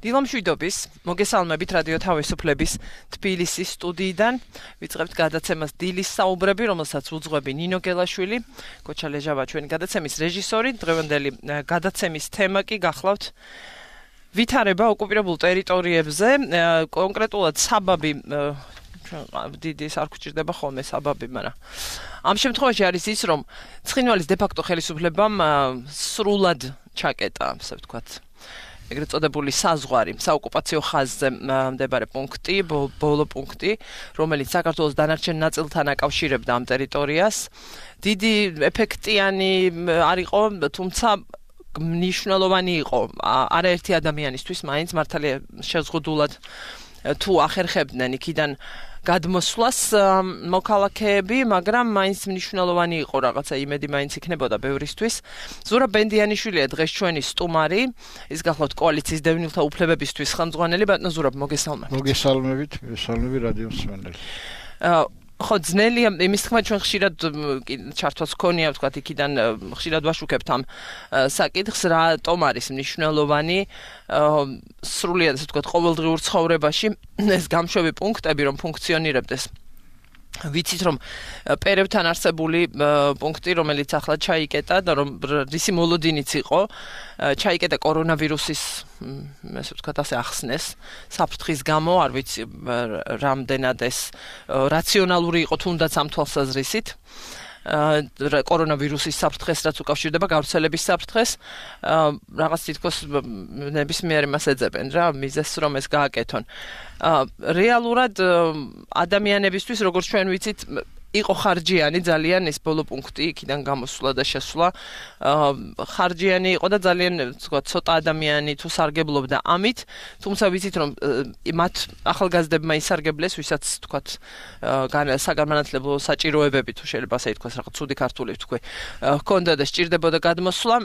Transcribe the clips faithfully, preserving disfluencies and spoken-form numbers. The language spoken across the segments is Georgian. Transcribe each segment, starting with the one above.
დილამშვიდობის, მოგესალმებით რადიო თავისუფლების თბილისის სტუდიიდან. ვიწყებთ გადაცემას დილის საუბრები, რომელსაც უძღვები ნინო გელაშვილი, კოჩა ლეჟავა ჩვენი გადაცემის რეჟისორი. დღევანდელი გადაცემის თემა კი გახლავთ ვითარება ოკუპირებულ ტერიტორიებზე, კონკრეტულად საბაბი დიდი არ გვჭირდება ხოლმე საბაბი, მაგრამ ამ შემთხვევაში არის ის, რომ ცხინვალის დე-ფაქტო ხელისუფლებამ სრულად ჩაკეტა, ასე ვთქვათ, ეგრეთ წოდებული საზღვარი, საოკუპაციო ხაზზე მდებარე პუნქტი, ბოლო პუნქტი, რომელიც საქართველოს დანარჩენ ნაწილთან აკავშირებდა ამ ტერიტორიას. დიდი ეფექტიანი არ იყო, თუმცა მნიშვნელოვანი იყო არაერთი ადამიანისთვის, მაინც მართალია შეზღუდულად თუ ახერხებდნენ იქიდან გადმოსვლას მოქალაქეები, მაგრამ მაინც მნიშვნელოვანი იყო რაღაცა იმედი მაინც იქნებოდა ბევრისთვის. ზურაბ ბენდიანიშვილია დღეს ჩვენი სტუმარი, ის გახლავთ კოალიციის დევნილთა უფლებებისთვის ხელმძღვანელი. ბატონო ზურაბ, მოგესალმებით. მოგესალმებით, მოგესალმებით რადიო მსმენელი. ხო, ძნელია, იმის თქმა ჩვენ ხშირად ჩართვაც გქონია, ვთქვათ, იქიდან ხშირად ვაშუქებთ ამ საკითხს, რატომ არის მნიშვნელოვანი სრულიად, ასე ვთქვათ, ყოველდღიურ ცხოვრებაში ეს გამშვები პუნქტები, რომ ფუნქციონირებდეს. ვიცით, რომ პერევთან არსებული პუნქტი, რომელიც ახლა ჩაიკეტა და რომ რისი მოლოდინიც იყო, ჩაიკეტა კორონავირუსის, ასე ვთქვათ, ასე ახსნეს საფრთხის გამო, არ ვიცი რამდენად ეს რაციონალური იყო თუნდაც ამ თვალსაზრისით. კორონავირუსის საფრთხეს, რაც უკავშირდება გავრცელების საფრთხეს, რაღაც თითქოს ნებისმიერი მას ეძებენ რა, მიზეს რომ ეს გააკეთონ. რეალურად ადამიანებისთვის, როგორც ჩვენ ვიცით, იყო ხარჯიანი ძალიან ეს ბოლო პუნქტი, იქიდან გამოსვლა და შესვლა. ხარჯიანი იყო და ძალიან, ვთქვათ, ცოტა ადამიანი თუ სარგებლობდა ამით, თუმცა ვიცით, რომ მათ ახალგაზრდებმა ისარგებლეს, ვისაც, ვთქვათ, საგანმანათლებლო საჭიროებები თუ შეიძლება ასე ითქვას, რაღაც ცუდი ქართული ვთქვი, ჰქონდა და სჭირდებოდა გადმოსვლა,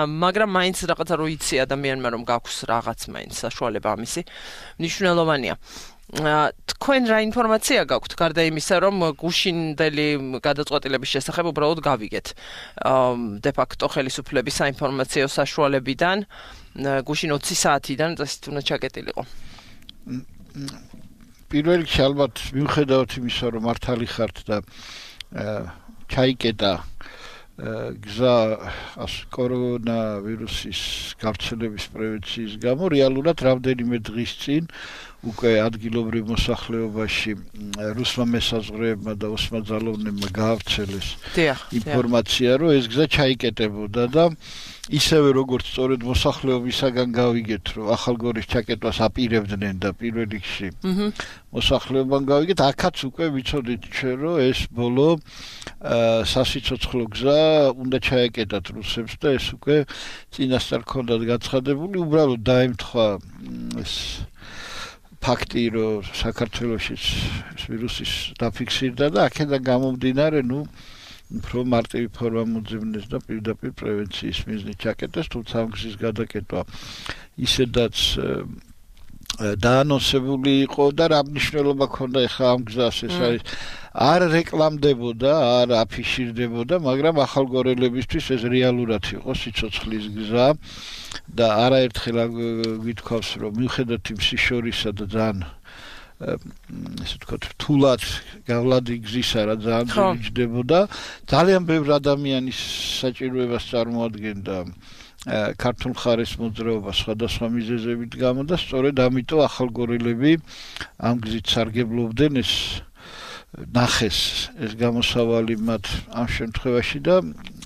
მაგრამ მაინც რაღაცა რო იცი ადამიანმა, რომ გაქვს რაღაც მაინც საშუალება ამისი, მნიშვნელოვანია. თქვენ რა ინფორმაცია გაქვთ გარდა იმისა, რომ გუშინდელი გადაწყვეტილების შესახებ უბრალოდ გავიგეთ დე-ფაქტო ხელისუფლების საინფორმაციო საშუალებიდან, გუშინ ოცი საათიდან წესით უნდა ჩაკეტილიყო. პირველ რიგში ალბათ მიუხედავად იმისა, რომ მართალი ხართ და ჩაიკეტა გზა კორონავირუსის გავრცელების პრევენციის გამო, რეალურად რამდენიმე დღის წინ უკვე ადგილობრივ მოსახლეობაში რუსმა მესაზღვრეებმა და ოსმა ძალოვნებმა გაავრცელეს ინფორმაცია, რომ ეს გზა ჩაიკეტებოდა და ისევე როგორც სწორედ მოსახლეობისაგან გავიგეთ, რომ ახალგორის ჩაკეტვას აპირებდნენ და პირველ რიგში მოსახლეობამ გავიგეთ, აქაც უკვე ვიცოდით ჩვენ, რომ ეს ბოლო სასიცოცხლო გზა უნდა ჩაეკეტათ რუსებს და ეს უკვე წინასწარ ჰქონდათ გაცხადებული, უბრალოდ დაემთხვა ეს ფაქტი, რომ საქართველოში ვირუსის დაფიქსირდა და აქედან გამომდინარე, ნუ უფრო მარტივი ფორმა მოძებნეს და პირდაპირ პრევენციის მიზნით ჩაკეტეს, თუმცა ამ გზის გადაკეტვა ისედაც დაანონსებული იყო და რა მნიშვნელობა ჰქონდა ახლა ამ გზას, ეს არის არ რეკლამდებოდა, არ აფიშირდებოდა, მაგრამ ახალგორელებისთვის ეს რეალურად იყო სიცოცხლის გზა და არაერთხელ გითქვავს, რომ მიუხედავად იმ სიშორისა და ძალიან ესე ვთქვათ, რთულად გავლადი გზისა რა ძალიან იჯდებოდა, ძალიან ბევრ ადამიანის საჭიროებას წარმოადგენდა ქართულ მხარეს მოძრაობა სხვადასხვა მიზეზებით გამო და სწორედ ამიტომ ახალგორელები ამ გზით სარგებლობდნენ, ეს ნახეს ეს გამოსავალი მათ ამ შემთხვევაში და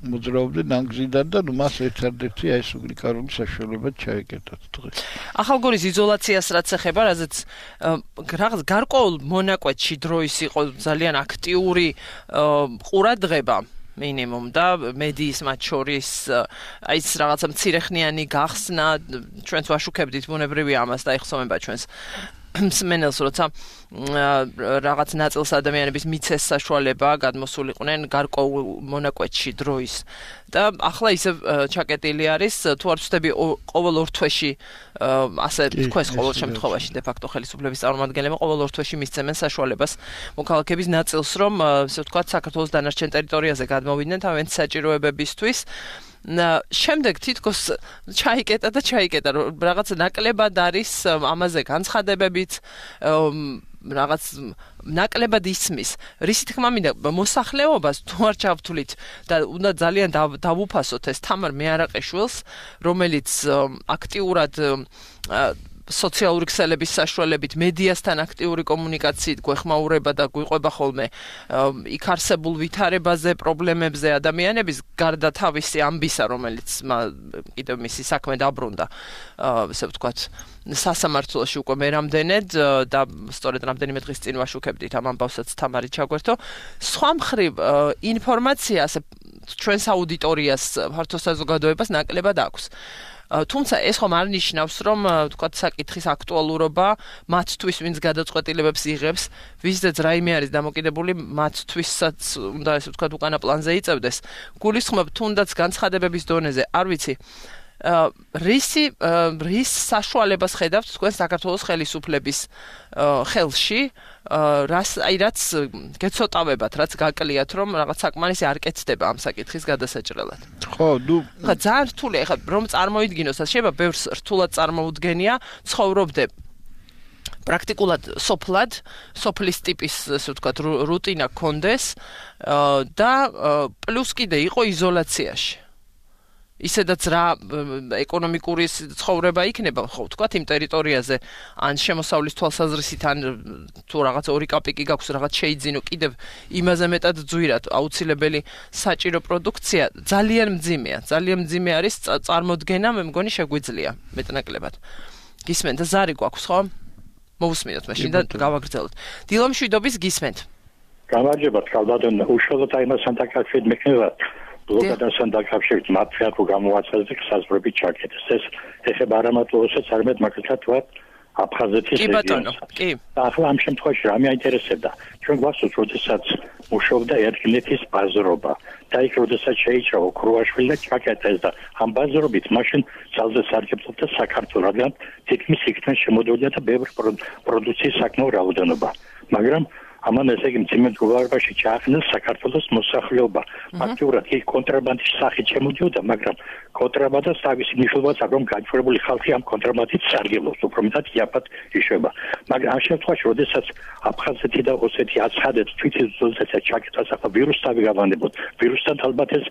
მოძრაობდნენ ამ გზიდან და ნუ მას ერთადერთი აი ეს უნიკალური საშუალება ჩაეკეტათ დღეს. ახალგორის იზოლაციას რაც ეხება, რაზეც რაღაც გარკვეულ მონაკვეთში დროის იყო ძალიან აქტიური ყურადღება მინიმუმ და მედიის მათ შორის აი ეს რაღაცა მცირეხნიანი გახსნა, ჩვენც ვაშუქებდით ბუნებრივია ამას და ეხსოვება ჩვენს მსმენელს, როცა რაღაც ნაწილს ადამიანების მიცეს საშუალება გადმოსულიყვნენ გარკვეულ მონაკვეთში დროის და ახლა ისე ჩაკეტილი არის, თუ არ ვცდები ყოველ ორ თვეში ასე თქვენს ყოველ შემთხვევაში დე-ფაქტო ხელისუფლების წარმომადგენლებმა ყოველ ორ თვეში მისცემენ საშუალებას მოქალაქეების ნაწილს, რომ ასე ვთქვათ, საქართველოს დანარჩენ ტერიტორიაზე გადმოვიდნენ თავიანთი საჭიროებებისთვის. შემდეგ თითქოს ჩაიკეტა და ჩაიკეტა რაღაც ნაკლებად არის ამაზე განცხადებებიც რაღაც ნაკლებად ისმის. რისი თქმა მინდა მოსახლეობას თუ არ ჩავთვლით და უნდა ძალიან დავუფასოთ ეს თამარ მეარაყიშვილს, რომელიც აქტიურად სოციალური ქსელების საშუალებით მედიასთან აქტიური კომუნიკაციით გვეხმაურება და გვიყვება ხოლმე იქ არსებულ ვითარებაზე, პრობლემებზე ადამიანების გარდა თავისი ამბისა, რომელიც კიდევ მისი საქმე დაბრუნდა, ესე ვთქვათ, სასამართლოში უკვე მე რამდენად და სწორედ რამდენიმე დღის წინ ვაშუქებდით ამ ამბავსაც თამარი ჩაგვერთო. სხვა მხრივ ინფორმაცია ასე ჩვენს აუდიტორიას, ფართო საზოგადოებას ნაკლებად აქვს. თუმცა ეს ხომ არ ნიშნავს, რომ თქვათ საკითხის აქტუალურობა მათთვის, ვინც გადაწყვეტილებებს იღებს, ვისდაც რაიმე არის დამოკიდებული, მათთვისაც უნდა ესე ვთქვათ უკანა პლანზე იწევდეს. გულისხმობ თუნდაც განცხადებების დონეზე, არ ვიცი, რისი რის საშუალებას ხედავთ თქვენ საქართველოს ხელისუფლების ხელში, რას აი რაც გეცოტავებათ, რაც გაკლიათ, რომ რაღაც საკმარისი არ კეთდება ამ საკითხის გადასაჭრელად. ხო, ნუ ხა ძალიან რთული, ხა რომ წარმოიდგინოს, შეიძლება ბევრს რთულად წარმოუდგენია, ცხოვრობდე პრაქტიკულად სოფლად, სოფლის ტიპის, ასე ვთქვათ, რუტინა გქონდეს და პლუს კიდე იყო იზოლაციაში. ისედაც რა ეკონომიკური ცხოვრება იქნება, ხო, ვთქვათ, იმ ტერიტორიაზე, ან შემოსავლის თვალსაზრისით, ან თუ რაღაც ორი კაპიკი გაქვს, რაღაც შეიძინო, კიდევ იმაზე მეტად ძვირად აუცილებელი საჭირო პროდუქცია ძალიან მძიმეა, ძალიან მძიმე არის წარმოდგენა, მე მგონი შეგვიძლია მეტნაკლებად. გისმენთ და ზარი გვაქვს, ხო? მოვუსმინოთ მაშინ და გავაგრძელოთ. დილო მშვიდობის გისმენთ. გამარჯობათ, ხალბატონო, უშუალოდ აიმასთან დაკავშირებით მექნებათ. ბლოგადასთან დაკავშირებით მათგან რო გამოვაცადეთ საზღვრებით ჩაკეტეს. ეს ეხება არა მარტოსაც, არამედ მაგალითად ვთქვათ აფხაზეთის რეგიონს. კი. ახლა ამ შემთხვევაში რა მეინტერესებდა? ჩვენ გვახსოვს, როდესაც მუშაობდა ერთგლეთის ბაზრობა და იქ როდესაც შეიჭრა ოქროაშვილი და ჩაკეტეს და ამ ბაზრობით მაშინ ძალზე სარგებლობდა საქართველო, რადგან თითქმის იქიდან შემოდიოდა და ბევრი პროდუქციის საკმაო რაოდენობა. მაგრამ ამან ესე იგი მძიმე მდგომარეობაში ჩაახდინა საქართველოს მოსახლეობა. ფაქტიურად კი კონტრაბანდის სახით შემოდიოდა, მაგრამ კონტრაბანდას თავისი მნიშვნელობაც აქვს, რომ გაჩვენებული ხალხი ამ კონტრაბანდით სარგებლობს, უფრო მეტად იაფად იშვება. მაგრამ ამ შემთხვევაში, როდესაც აფხაზეთი და ოსეთი აცხადებს თვითონ ზოლზეცა ჩაკეტას ახლა ვირუსთან გავანებოთ, ვირუსთან ალბათ ეს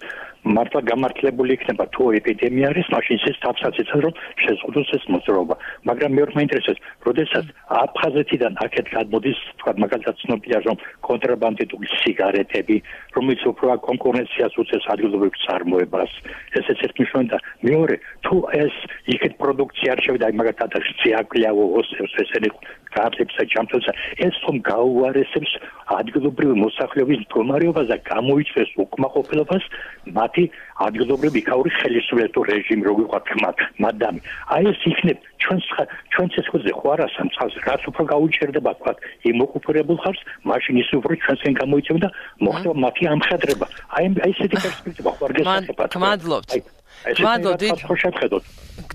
მართლა გამართლებული იქნება, თუ ეპიდემია არის, მაშინ ეს თავსაც იცავს, რომ შეზღუდოს ეს მოძრაობა. მაგრამ მე ვარ ინტერესებს, როდესაც აფხაზეთიდან აქეთ გადმოდის, თქვა მაგალითად ცნობილია, რომ კონტრაბანდიტული სიგარეტები, რომელიც უფრო კონკურენციას უწევს ადგილობრივ წარმოებას, ეს ერთ მნიშვნელოვანი და მეორე, თუ ეს იქეთ პროდუქცია არ შევიდა, მაგალითად ციაკლიავო ოსებს ესენი გააფლებს და ჯამთელს, ეს ხომ გაუარესებს ადგილობრივი მოსახლეობის მდგომარეობას და გამოიწვევს უკმაყოფილებას მათი ადგილობრივი იქაური ხელისუფლების რეჟიმი, როგორ ვთქვათ, მადამი. აი ეს იქნებ ჩვენს ჩვენს ეს ხოზე ხო არა სამცხას, რაც უფრო გაუჩერდება, ვთქვათ, იმ ოკუპირებულ ხალხს, მაშინ ის უფრო ჩვენსკენ გამოიწვევს და მოხდება მათი ამხედრება. აი აი ესეთი პერსპექტივა ხო არ გესახებათ. გმადლობთ. გმადლობთ.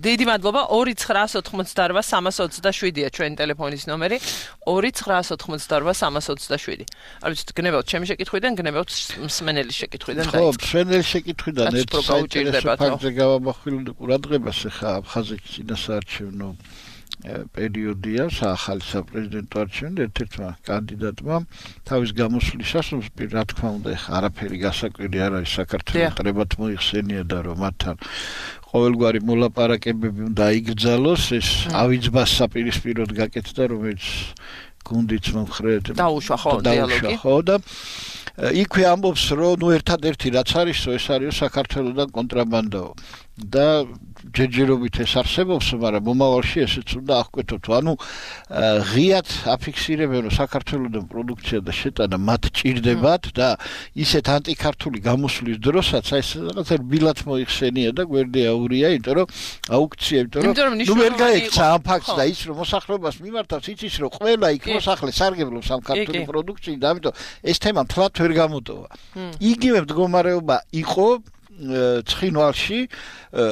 დიდი მადლობა. ორი ცხრაას ოთხმოცდაოთხ სამას ოცდაშვიდია ჩვენი ტელეფონის ნომერი. ორი ცხრაას ოთხმოცდაოთხ სამას ოცდაშვიდი. არ ვიცით, გნებავთ ჩემი შეკითხვიდან, გნებავთ მსმენელის შეკითხვიდან და ხო, მსმენელის შეკითხვიდან ერთ ფაქტზე გავამახვილე ყურადღებას, ხა აფხაზეთის წინასაარჩევნო პერიოდია, ახალი საპრეზიდენტო არჩევნები ერთ-ერთმა კანდიდატმა თავის გამოსვლისას, რა თქმა უნდა, ხა არაფერი გასაკვირი არ არის, საქართველოს ტრებათ მოიხსენია და რომ მათთან ყოველგვარი მოლაპარაკებები უნდა იგრძალოს, ეს ავიძბას საპირისპიროდ გაკეთდა, რომელიც გუნდიც მომხრედ დაუშვა ხო დიალოგი. ხო და იქვე ამბობს, რომ ნუ ერთადერთი რაც არისო, ეს არის საქართველოსთან კონტრაბანდაო. და ჯერჯერობით ეს არსებობს, მაგრამ მომავალში ესეც უნდა აღკვეთოთ. ანუ ღიად აფიქსირებენ, რომ საქართველოსთან პროდუქცია და შეტანა მათ ჭირდებათ და ისეთ ანტიქართული გამოსვლის დროსაც აი ეს რაღაცა ბილად მოიხსენია და გვერდი აურია, იმიტომ რომ აუქცია, იმიტომ რომ ნუ ვერ გაექცა ამ ფაქტს და ის რომ მოსახლეობას მიმართავს, იცის რომ ყველა იქ მოსახლე სარგებლობს ამ ქართული პროდუქციით და ამიტომ ეს თემა თლათ ვერ გამოტოვა. იგივე მდგომარეობა იყო ცხინვალში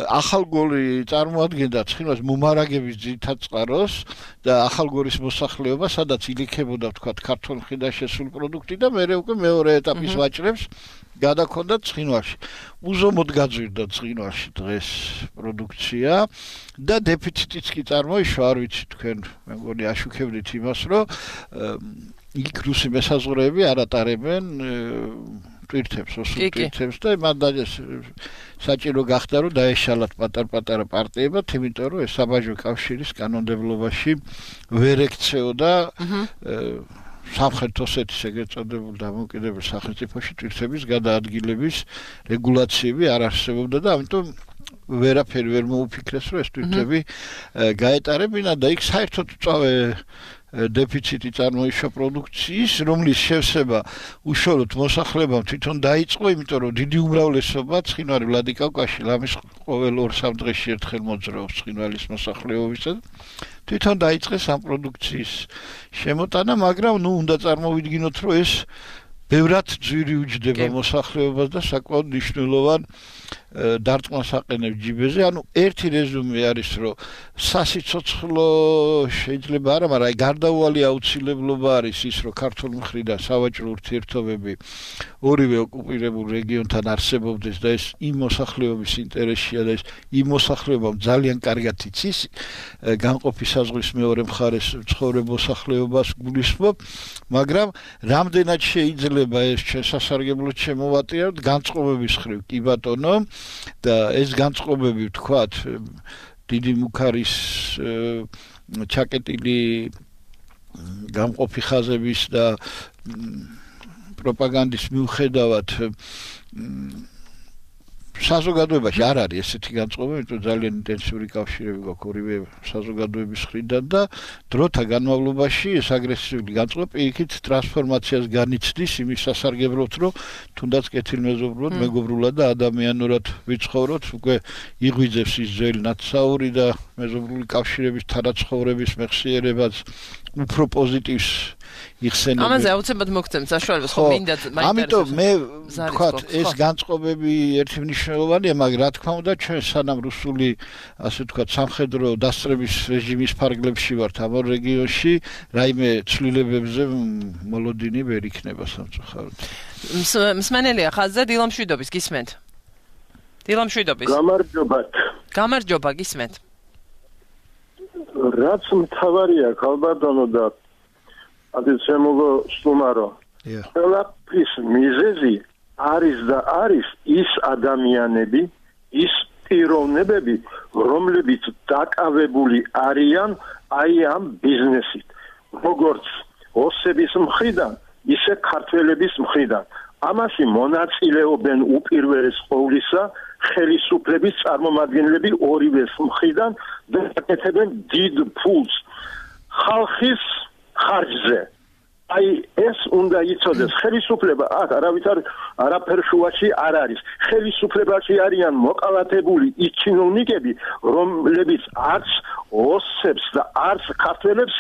ახალგორი წარმოადგენდა ცხინვალის მომარაგების ძირითად წყაროს და ახალგორის მოსახლეობა, სადაც ილიქებოდა ვთქვათ ქართულ მხრიდან შესული პროდუქტი და მეორე უკვე მეორე ეტაპის ვაჭრებს გადაქონდათ ცხინვალში. უზომოდ გაძვირდა ცხინვალში დღეს პროდუქცია და დეფიციტიც კი წარმოიშვა, არ ვიცი თქვენ მე მგონი აშუქებდით იმას, რომ იქ რუსი მესაზღვრეები არ ატარებენ ტვირთებს, ოსურ ტვირთებს და მანდ საჭირო გახდა რომ დაეშალათ პატარ-პატარა პარტიებად, იმიტომ რომ ეს საბაჟო კავშირის კანონმდებლობაში ვერ ექცეოდა სამხრეთ ოსეთის ეგრეთ წოდებულ დამოუკიდებელ სახელმწიფოში ტვირთების გადაადგილების რეგულაციები არ არსებობდა და ამიტომ ვერაფერი ვერ მოუფიქრეს რომ ეს ტვირთები გაეტარებინა და იქ საერთოდ წავე დეფიციტი წარმოიშვა პროდუქციის, რომლის შევსება უშუალოდ მოსახლეობამ თვითონ დაიწყო, იმიტომ რომ დიდი უმრავლესობა ცხინვარი ვლადიკავკაზში ლამის ყოველ ორ-სამ დღეში ერთხელ მოძრაობს ცხინვალის მოსახლეობისა. თვითონ დაიწყეს ამ პროდუქციის შემოტანა, მაგრამ ნუ უნდა წარმოვიდგინოთ, რომ ეს ბევრად ძვირი უჯდება მოსახლეობას და საკმაოდ მნიშვნელოვან დარტყმას აყენებს ჯიბეზე. ანუ ერთი რეზუმე არის, რომ სასიცოცხლო შეიძლება არა, მაგრამ აი გარდაუვალი აუცილებლობა არის ის, რომ ქართულ მხრიდან სავაჭრო ურთიერთობები ორივე ოკუპირებულ რეგიონთან არსებობდეს და ეს იმ მოსახლეობის ინტერესია და ეს იმ მოსახლეობამ ძალიან კარგად იცის განყოფი საზღვრის მეორე მხარეს ცხოვრებ მოსახლეობას გულისხმობ, მაგრამ რამდენად შეიძლება ეს შესასარგებლოდ შემოვატიოთ განწყობების ხრივ კი ბატონო და ეს განწყობები ვთქვათ დიდი მუქარის ჩაკეტილი გამყოფი ხაზების და პროპაგანდის მიუხედავად საზოგადოებაში არ არის ესეთი განწყობები, იმიტომ ძალიან ინტენსიური კავშირები გვაქვს ორივე საზოგადოების მხრიდან და დროთა განმავლობაში ეს აგრესიული განწყობა პირიქით ტრანსფორმაციას განიცდის იმის სასარგებლოდ, რომ თუნდაც კეთილმეზობლად, მეგობრულად და ადამიანურად ვიცხოვროთ, უკვე იღვიძებს ის ძველი ნათსაური და მეზობლური კავშირების თანაცხოვრების მეხსიერებას უფრო პოზიტივს იხსენებენ. ამაზე აუცილებლად მოგცემთ საშუალებას, ხო მინდა მაინტერესებს. ამიტომ მე ვთქვათ, ეს განწყობები ერთი მნიშვნელოვანია, მაგრამ რა თქმა უნდა, ჩვენ სანამ რუსული, ასე ვთქვათ, სამხედრო დასწრების რეჟიმის ფარგლებში ვართ ამ რეგიონში, რაიმე ცვლილებებზე მოლოდინი ვერ იქნება სამწუხაროდ. მსმენელია ხაზზე დილამშვიდობის გისმენთ. დილამშვიდობის. გამარჯობათ. გამარჯობა გისმენთ. რაც მთავარია ქალბატონო და ადეცემოგო სტუმარო. ყველაფრის მიზეზი არის და არის ის ადამიანები, ის პიროვნებები, რომლებიც დაკავებული არიან აი ამ ბიზნესით. როგორც ოსების მხრიდან, ისე ქართველების მხრიდან. ამაში მონაწილეობენ უპირველეს ყოვლისა ხელისუფლების წარმომადგენლები ორივე მხრიდან და აკეთებენ დიდ ფულს ხალხის ხარჯზე. აი ეს უნდა იცოდეს, ხელისუფლება აქ არავითარ არაფერ შუაში არ არის. ხელისუფლებაში არიან მოყალათებული ის ჩინოვნიკები, რომლებიც არც ოსებს და არც ქართველებს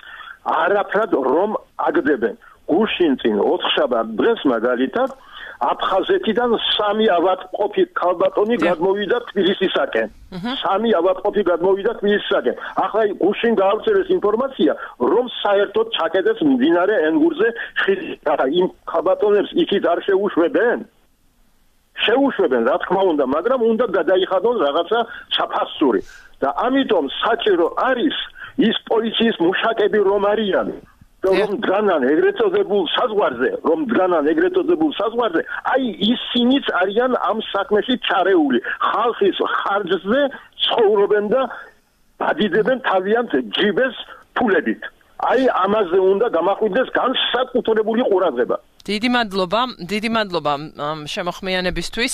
არაფრად რომ აგდებენ. გუშინ წინ ოთხშაბათ დღეს მაგალითად აფხაზეთიდან სამი ავადმყოფი ქალბატონი გადმოვიდა თბილისისაკენ. სამი ავადმყოფი გადმოვიდა თბილისისაკენ. ახლა გუშინ გაავრცელეს ინფორმაცია, რომ საერთოდ ჩაკეტეს მდინარე ენგურზე ხიდი. იმ ქალბატონებს იქით არ შეუშვებენ? შეუშვებენ, რა თქმა უნდა, მაგრამ უნდა გადაიხადონ რაღაცა საფასური. და ამიტომ საჭირო არის ის პოლიციის მუშაკები რომ არიან. რომ დგანან ეგრეთ წოდებულ საზღვარზე, რომ დგანან ეგრეთ წოდებულ საზღვარზე, აი ისინიც არიან ამ საქმეში ჩარეული. ხალხის ხარჯზე ცხოვრობენ და დადიდებენ თავიანთ ჯიბეს ფულებით. აი ამაზე უნდა გამახვიდეს განსაკუთრებული ყურადღება. დიდი მადლობა, დიდი მადლობა შემოხმიანებისთვის.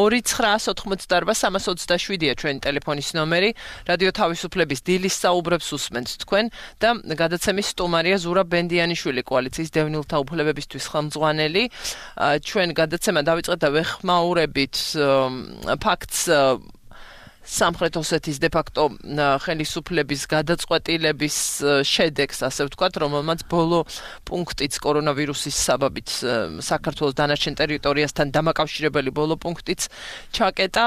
ორი ცხრა ოთხმოცდაარბა სამას ოცდაშვიდია ჩვენი ტელეფონის ნომერი. რადიო თავისუფლების დილის საუბრებს უსმენთ თქვენ და გადაცემის სტუმარია ზურაბ ბენდიანიშვილი, კოალიციის დევნილთა უფლებებისთვის ხელმძღვანელი. ჩვენ გადაცემა დავიწყეთ და ვეხმაურებით ფაქტს სამხრეთ ოსეთის დე-ფაქტო ხელისუფლების გადაწყვეტილების შედეგს, ასე ვთქვათ, რომელმაც ბოლო პუნქტიც კორონავირუსის საბაბით საქართველოს დანარჩენ ტერიტორიასთან დამაკავშირებელი ბოლო პუნქტიც ჩაკეტა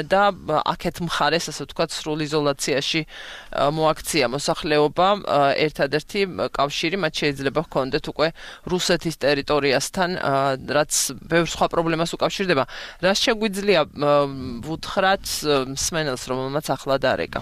და აქეთ მხარეს, ასე ვთქვათ, სრულ იზოლაციაში მოაქცია მოსახლეობა. ერთადერთი კავშირი მათ შეიძლება ჰქონდეთ უკვე რუსეთის ტერიტორიასთან, რაც ბევრ სხვა პრობლემას უკავშირდება. რას შეგვიძლია ვუთხრათ მსმენელს, რომელმაც ახლა დარეკა?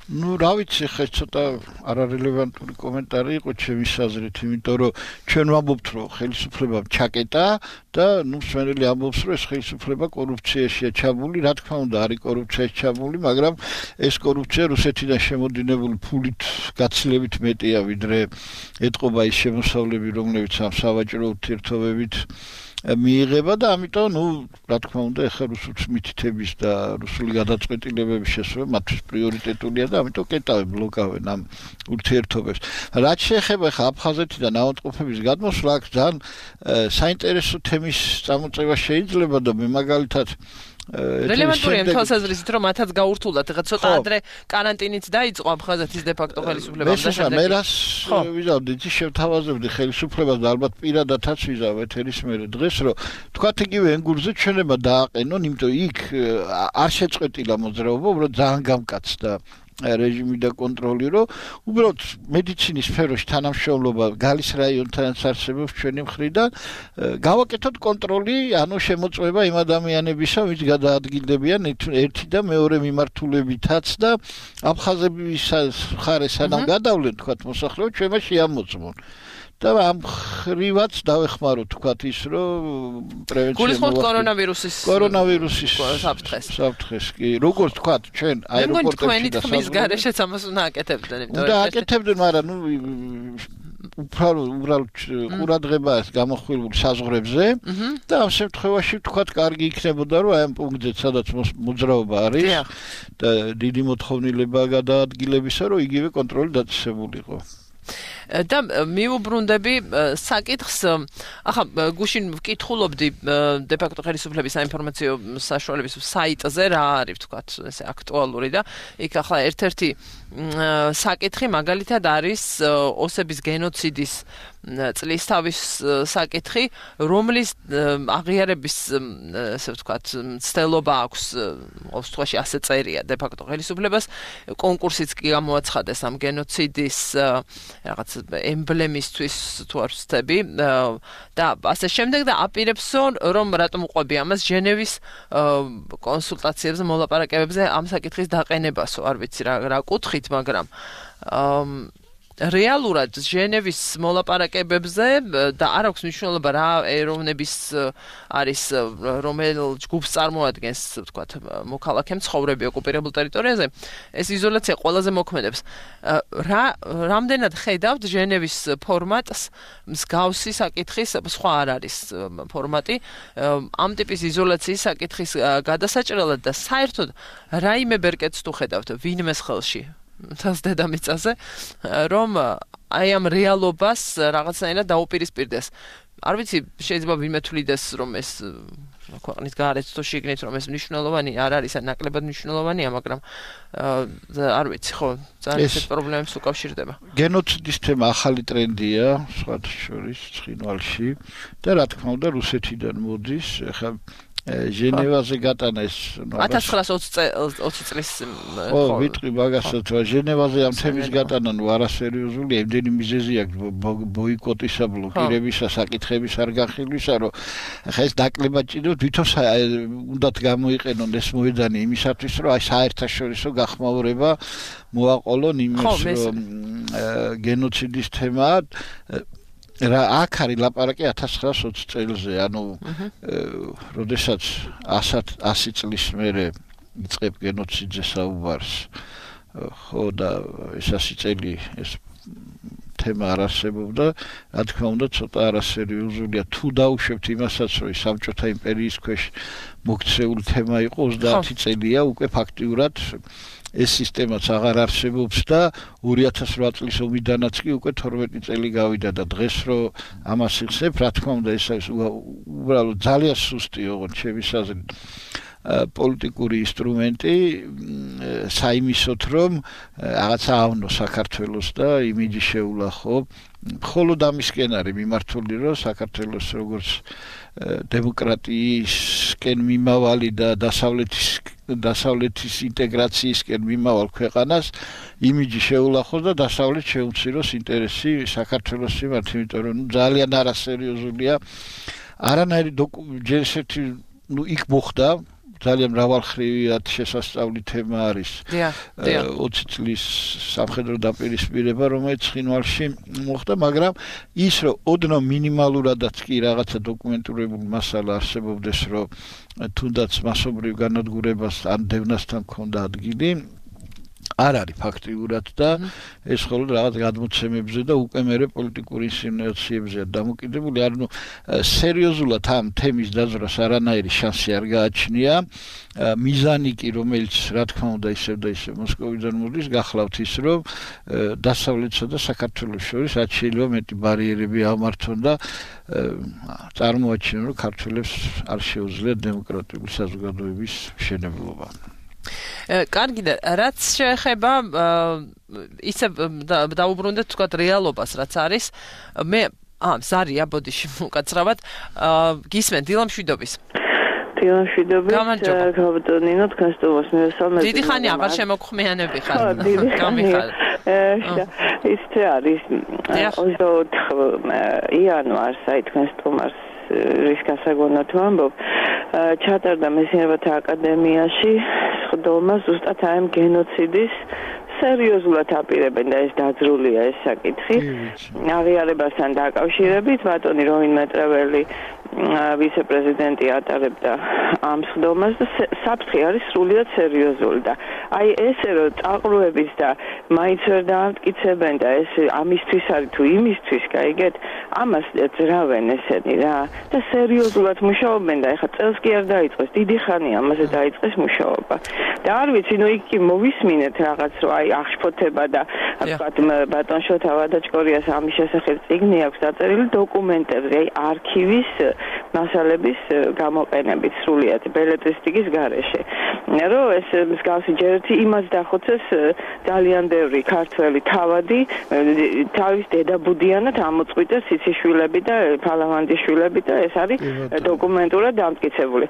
Ну, რა ვიცი, ხე ცოტა არარელევანტური კომენტარი იყო ჩემის აზრით, იმიტომ რომ ჩვენ ვამბობთ, რომ ხელისუფლებამ ჩაკეტა და ნუ მსმენელი ამბობს, რომ ეს ხელისუფლება კორუფციაშია ჩაბული, რა თქმა უნდა, არის კორუფციაში ჩაბული, მაგრამ ეს კორუფცია რუსეთიდან შემოდინებული ფულით გაცილებით მეტია, ვიდრე ეტყობა ის შემოსავლები, რომლებიც ამ სავაჭრო ურთიერთობებით მიიღება და ამიტომ, ნუ, რა თქმა უნდა, ეხლა რუსულს მითითების და რუსული გადაწყვეტილებების შესრულება მათთვის პრიორიტეტულია და ამიტომ კეტავენ, ბლოკავენ ამ ურთიერთობებს. რაც შეეხება ეხლა აფხაზეთიდან ავადმყოფების გადმოსვლა, აქ ძალიან საინტერესო თემის წამოწევა შეიძლება და მე მაგალითად რელევანტურია თვალსაზრისით, რომ მათაც გაურთულდათ, ეხლა ცოტა ადრე კარანტინიც დაიწყო აფხაზეთის დე-ფაქტო ხელისუფლებამ და შემდეგ. მე რას ვიზავდი, იცი შევთავაზებდი ხელისუფლებას და ალბათ პირადადაც ვიზავ ეთერის მერე დღეს, რომ თქვათ იგივე ენგურზე ჩვენება დააყენონ, იმიტომ იქ არ შეწყვეტილა მოძრაობა, უბრალოდ ძალიან გამკაცდა რეჟიმი და კონტროლი, რომ უბრალოდ მედიცინის სფეროში თანამშრომლობა გალის რაიონთანაც არსებობს ჩვენი მხრიდან, გავაკეთოთ კონტროლი, ანუ შემოწმება იმ ადამიანებისა, ვინც გადაადგილდებიან ერთი და მეორე მიმართულებითაც და აფხაზების მხარეს სანამ გადავლენ, თქვათ მოსახლეობა, ჩვენ მას შეამოწმონ. და ამ ხრივაც დავეხმაროთ, თქვათ ის, რომ პრევენცია გულისხმობთ კორონავირუსის კორონავირუსის საფრთხეს. საფრთხეს კი, როგორც თქვათ, ჩვენ აეროპორტებში და თქვენი თქმის გარეშეც ამას უნდა აკეთებდნენ, იმიტომ რომ და აკეთებდნენ, მაგრამ ნუ უფრო უბრალოდ ყურადღება გამოხვილული საზღვრებზე და ამ შემთხვევაში თქვათ, კარგი იქნებოდა, რომ აი ამ პუნქტზე, სადაც მოძრაობა არის და დიდი მოთხოვნილება გადაადგილებისა, რომ იგივე კონტროლი დაწესებულიყო. და მიუბრუნდები საკითხს, ახლა გუშინ ვკითხულობდი დე-ფაქტო ხელისუფლების საინფორმაციო საშუალების საიტზე რა არის, ვთქვათ, ესე აქტუალური და იქ ახლა ერთ-ერთი საკითხი მაგალითად არის ოსების გენოციდის წლის თავის საკითხი, რომლის აღიარების, ესე ვთქვათ, მცდელობა აქვს, ყოველ შემთხვევაში ასე წერია დე-ფაქტო ხელისუფლებას, კონკურსიც კი გამოაცხადეს ამ გენოციდის რაღაც ემბლემისთვის თუ არ ვცდები და ასე შემდეგ და აპირებსო, რომ რატომ უყვები ამას ჟენევის კონსულტაციებზე, მოლაპარაკებებზე ამ საკითხის დაყენებასო, არ ვიცი რა რა კუთხით, მაგრამ რეალურად ჟენევის მოლაპარაკებებზე და არ აქვს მნიშვნელობა რა ეროვნების არის რომელ ჯგუფს წარმოადგენს, ვთქვათ, მოქალაქე მცხოვრები ოკუპირებულ ტერიტორიაზე, ეს იზოლაცია ყველაზე მოქმედებს. რა რამდენად ხედავთ ჟენევის ფორმატს, მსგავსი საკითხის სხვა არ არის ფორმატი, ამ ტიპის იზოლაციის საკითხის გადასაჭრელად და საერთოდ რაიმე ბერკეტს თუ ხედავთ ვინმეს ხელში თავს დედამიწაზე, რომ აი ამ რეალობას რაღაცნაირად დაუპირისპირდეს. არ ვიცი, შეიძლება ვინმე თვლიდეს, რომ ეს ქვეყნის გარეთ თუ შიგნით, რომ ეს მნიშვნელოვანი არ არის, ან ნაკლებად მნიშვნელოვანია, მაგრამ არ ვიცი, ხო, ძალიან ისეთ პრობლემებს უკავშირდება. გენოციდის თემა ახალი ტრენდია, სხვათა შორის ცხინვალში და რა თქმა უნდა რუსეთიდან მოდის, ახლა ჟენევაზე გატანა ეს ათას ცხრაასი ოცი წლის ხო ვიტყვი მაგასაც ჟენევაზე ამ თემის გატანა ნუ არასერიოზული ემდენი მიზეზი აქვს ბოიკოტისა ბლოკირებისა საკითხების არ განხილვისა რომ ხა ეს დაკლება ჭირდება თვითონ უნდათ გამოიყენონ ეს მოედანი იმისათვის რომ აი საერთაშორისო გახმაურება მოაყოლონ იმის რომ გენოციდის თემა რა აქ არის ლაპარაკი ათას ცხრაასი ოცი წელზე, ანუ როდესაც ასი წლის მერე იწყებ გენოციძე საუბარს, ხო და ეს ასი წელი ეს თემა არ არსებობდა, რა თქმა უნდა ცოტა არასერიოზულია თუ დაუშვებთ იმასაც, რომ საბჭოთა იმპერიის ქვეშ მოქცეული თემა იყო ოცდაათი წელია უკვე ფაქტიურად ეს სისტემაც აღარ არსებობს და ორი ათას რვა წლის ომიდანაც კი უკვე თორმეტი წელი გავიდა და დღეს რომ ამას იხსენებ, რა თქმა უნდა ეს არის უბრალოდ ძალიან სუსტი, ოღონდ ჩემი აზრით. პოლიტიკური ინსტრუმენტი საიმისოთ რომ რაღაცა ავნო საქართველოს და იმიჯი შეულახო მხოლოდ ამისკენ არის მიმართული რომ საქართველოს როგორც დემოკრატიისკენ მიმავალი და დასავლეთის დასავლეთის ინტეგრაციისკენ მიმავალ ქვეყანას იმიჯი შეულახოს და დასავლეთ შეუციროს ინტერესი საქართველოს მიმართ, იმიტომ რომ ძალიან არასერიოზულია არანაირი ჯერ ერთი ნუ იქ მოხდა ძალიან მრავალხრივად შესასწავლი თემა არის ოცი წლის სამხედრო დაპირისპირება რომელიც ცხინვალში მოხდა, მაგრამ ის რომ ოდნავ მინიმალურადაც კი რაღაცა დოკუმენტურებული მასალა არსებობდეს რომ თუნდაც მასობრივ განადგურებას ან დევნასთან ქონდა ადგილი არ არის ფაქტიურად და ეს მხოლოდ რაღაც გადმოცემებზე და უკვე მერე პოლიტიკური ინსინუაციებზეა დამოკიდებული. ანუ სერიოზულად ამ თემის დაზრას არანაირი შანსი არ გააჩნია. მიზანი კი რომელიც რა თქმა უნდა ისევ და ისევ მოსკოვიდან მოდის გახლავთ ის რომ დასავლეთსა და საქართველოს შორის რაც შეიძლება მეტი ბარიერები ამართონ და წარმოაჩინონ რომ ქართველებს არ შეუძლიათ დემოკრატიული საზოგადოების მშენებლობა. კარგი და რაც შეეხება ისე დაუბრუნდეთ თქვათ რეალობას რაც არის მე აა ზარია ბოდიში უკაცრავად გისმენ დილამშვიდობის დილამშვიდობის გავბატონინო თქვენ სტუმარს მივესალმებით დიდი ხანი აღარ შემოგხმიანები ხარ გამიხარ ის არის ოცდაოთხ იანვარს აი თქვენ სტუმარს რის გასაგონად ვამბობ ჩატარდა მეცნიერებათა აკადემიაში სხდომა ზუსტად აი ამ გენოციდის სერიოზულად აპირებენ და ეს დაძრულია ეს საკითხი აღიარებასთან დაკავშირებით ბატონი როინ მეტრეველი ვიცე-პრეზიდენტი ატარებდა ამ სხდომას და საფრთხე არის სრულიად სერიოზული და აი ესე რომ წაყრუების და მაინც ვერ დაამტკიცებენ და ეს ამისთვის არის თუ იმისთვის გაიგეთ ამას ძრავენ ესენი რა და სერიოზულად მუშაობენ და ეხლა წელს კი არ დაიწყეს დიდი ხანი ამაზე დაიწყეს მუშაობა და არ ვიცი ნუ იქ კი მოვისმინეთ რაღაც რომ აი აღშფოთება და ვთქვათ ბატონ შოთა ვადაჭკორიას ამის შესახებ წიგნი აქვს დაწერილი დოკუმენტებზე აი არქივის მასალების გამოყენებით სრულიად ბელეტრისტიკის გარეშე რომ ეს მსგავსი ჯერ ერთი იმას დახოცეს ძალიან ბევრი ქართველი თავადი თავის დედაბუდიანად ამოწყვიტეს ციციშვილები და ფალავანდიშვილები და ეს არის დოკუმენტურად დამტკიცებული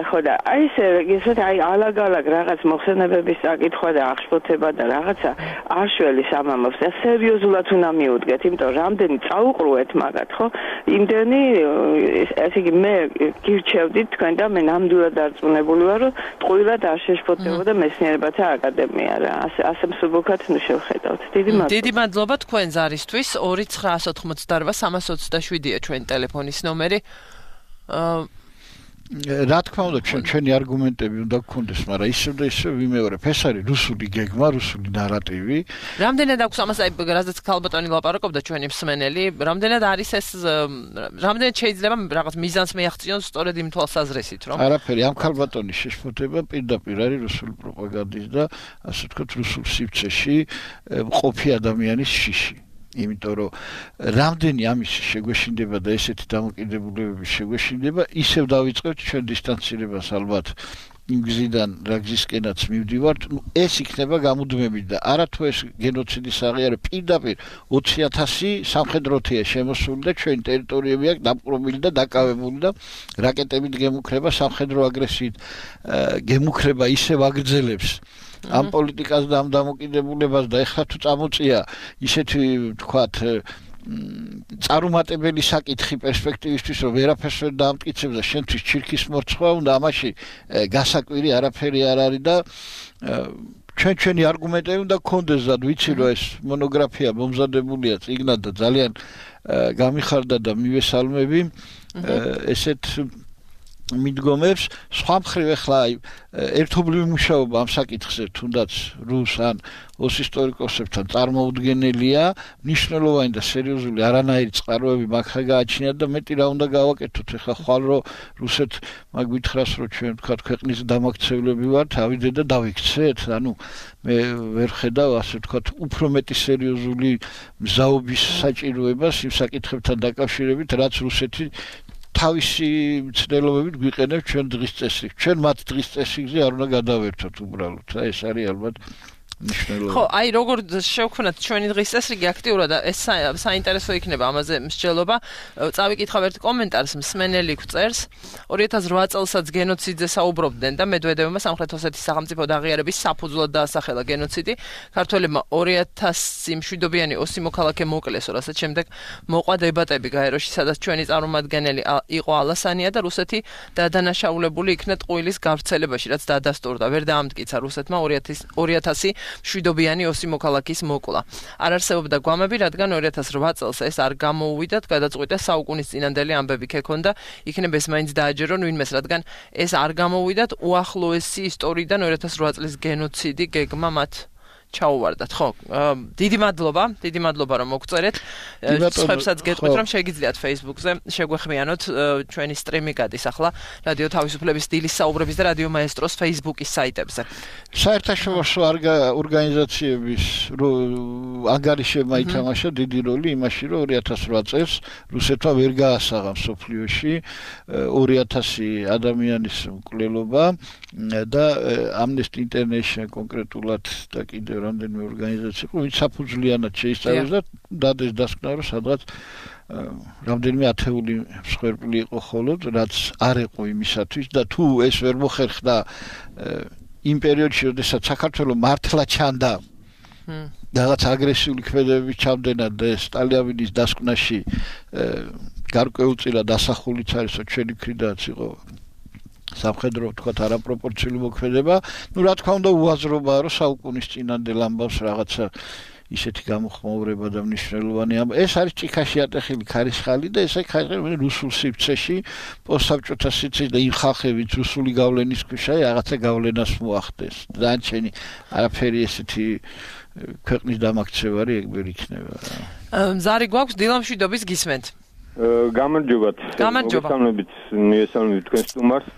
ხო და აი ეს ისეთ აი ალაგ-ალაგ რაღაც მოხსენებების საკითხვა და აღშფოთება და რაღაცა არშველის ამამობს და სერიოზულად უნდა მიუდგეთ იმიტომ რამდენი წაუყრუეთ მაგათ ხო იმდენი ესე იგი მე გირჩევდით თქვენ და მე ნამდვილად დარწმუნებული ვარ რომ ტყუილად არ შეშფოთებოდა მეცნიერებათა აკადემია რა ასე ასე მსუბუქად ნუ შევხედავთ დიდი მადლობა დიდი მადლობა თქვენ ზარისთვის ორი ცხრაასი ოცდაოთხმოცდაარბა სამასი ოცდაშვიდია ჩვენი ტელეფონის ნომერი რა თქმა უნდა ჩვენ ჩვენი არგუმენტები უნდა გქონდეს, მაგრამ ისევ და ისევ ვიმეორებ, ეს არის რუსული გეგმა, რუსული ნარატივი. რამდენად აქვს ამას აი რაზეც ქალბატონი ლაპარაკობდა ჩვენი მსმენელი, რამდენად არის ეს რამდენად შეიძლება რაღაც მიზანს მიაღწიონ სწორედ იმ თვალსაზრისით, რომ არაფერი ამ ქალბატონის შეშფოთება პირდაპირ არის რუსული პროპაგანდის და ასე ვთქვათ რუსულ სივრცეში მყოფი ადამიანის შიში. იმიტომ რომ რამდენი ამის შეგვეშინდება და ესეთი დამოკიდებულებების შეგვეშინდება, ისევ დავიწყებთ ჩვენ დისტანცირებას ალბათ იმ გზიდან, რა გზისკენაც მივდივართ, ნუ ეს იქნება გამუდმებით და არათუ ეს გენოციდის აღიარება პირდაპირ ოცი ათასი სამხედროთია შემოსული და ჩვენი ტერიტორიები აქვს დაპყრობილი და დაკავებული და რაკეტებით გემუქრება სამხედრო აგრესიით გემუქრება ისევ აგრძელებს ამ პოლიტიკას და ამ დამოკიდებულებას და ეხლა თუ წამოწია ისეთი თქვათ წარუმატებელი საკითხი პერსპექტივისთვის რომ ვერაფერს ვერ დაამტკიცებს და შენთვის ჩირქის მორცვა უნდა ამაში გასაკვირი არაფერი არ არის და ჩვენ ჩვენი არგუმენტები უნდა გქონდეს და ვიცი რომ ეს მონოგრაფია მომზადებულია წიგნად და ძალიან გამიხარდა და მივესალმები ესეთ მიდგომებს სხვა მხრივ ახლა ერთობლივი მუშაობა ამ საკითხზე თუნდაც რუს ან ოს ისტორიკოსებთან წარმოუდგენელია მნიშვნელოვანი და სერიოზული არანაირი წყაროები მაგ გააჩნიათ და მეტი რა უნდა გავაკეთოთ ახლა ხვალ რომ რუსეთ მაგ ვითხრას რომ ჩვენ ვთქვათ ქვეყნის დამაქცევლები ვართ ავიდე და დავიქცეთ ანუ მე ვერ ხედავ ასე ვთქვათ უფრო მეტი სერიოზული მზაობის საჭიროებას იმ საკითხებთან დაკავშირებით რაც რუსეთი თავისი მცდელობებით გვიყენებ ჩვენ დღის წესრიგს. ჩვენ მათ დღის წესრიგზე არ უნდა გადავერთოთ უბრალოდ. აი ეს არის ალბათ ნიშნულობა. ხო, აი როგორ შევქმნათ ჩვენი დღის წესრიგი აქტიურად და ეს საინტერესო იქნება ამაზე მსჯელობა. წავიკითხავ ერთ კომენტარს, მსმენელი გვწერს, ორი ათას ოთხ წელსაც გენოციდზე საუბრობდნენ და მედვედევმა სამხრეთ ოსეთის სახელმწიფოდ აღიარების საფუძვლად დაასახელა გენოციდი. ქართველებმა ორი ათასი მშვიდობიანი ოსი მოქალაქე მოკლეს, რასაც შემდეგ მოყვა დებატები გაეროში, სადაც ჩვენი წარმომადგენელი იყო ალასანია და რუსეთი დადანაშაულებული იქნა ტყუილის გავრცელებაში, რაც დადასტურდა. ვერ დაამტკიცა რუსეთმა ორი ათასი მშვიდობიანი ოსი მოქალაქის მოკლა. არ არსებობდა გვამები, რადგან ორი ათას ოთხ წელს ეს არ გამოუვიდათ, გადაწყვიტა საუკუნის წინანდელი ამბები ქექონდა, იქნებ ეს მაინც დააჯერონ ვინმეს, რადგან ეს არ გამოუვიდათ, უახლოესი ისტორიიდან ორი ათას ოთხ წლის გენოციდი გეგმა მათ ჩაუვარდათ. ხო, დიდი მადლობა, დიდი მადლობა რომ მოგწერეთ. სხვებსაც გეტყვით რომ შეგიძლიათ Facebook-ზე შეგვეხმიანოთ, ჩვენი სტრიმი გადის ახლა რადიო თავისუფლების დილის საუბრების და რადიო მაესტროს Facebook-ის საიტებზე. საერთაშორისო ორგანიზაციების ანგარიშებმა ითამაშა დიდი როლი იმაში, რომ ორი ათას ოთხ წელს რუსეთმა ვერ გაასაღა მსოფლიოში ორი ათასი ადამიანის მკვლელობა და Amnesty International კონკრეტულად და კიდევ რამდენიმე ორგანიზაცია, ვინც საფუძვლიანად შეისწავლეს და დადეს დასკვნა, რომ სადღაც რამდენიმე ათეული მსხვერპლი იყო ხოლოდ, რაც არ იყო იმისათვის და თუ ეს ვერ მოხერხდა იმ პერიოდში, როდესაც საქართველოს მართლა ჩანდა რაღაც აგრესიული ქმედებების ჩამდენა და სტალინის დასკვნაში გარკვეულწილად ასახულიც არის, რომ ჩვენი მხრიდანაც იყო სამხედრო თქვათ არაპროპორციული მოქმედება. ნუ რა თქმა უნდა უაზრობაა, რომ საუკუნის წინანდელ ამბავს რაღაცა ისეთი გამოხმაურება და მნიშვნელოვანი ამბავი. ეს არის ჭიქაში ატეხილი ქარიშხალი და ესე ხაიხე რუსულ სივრცეში პოსტსაბჭოთა სივრცეში და იმ ხალხებიც რუსული გავლენის ქვეშ აი რაღაცა გავლენას მოახდეს. დანარჩენი არაფერი ესეთი ქვეყნის დამაქცევარი ეგ ვერ იქნება. ზარი გვაქვს დილამშვიდობის გისმენთ. გამარჯობათ. გამარჯობა. მოგესალმებით, მიესალმებით თქვენ სტუმარს.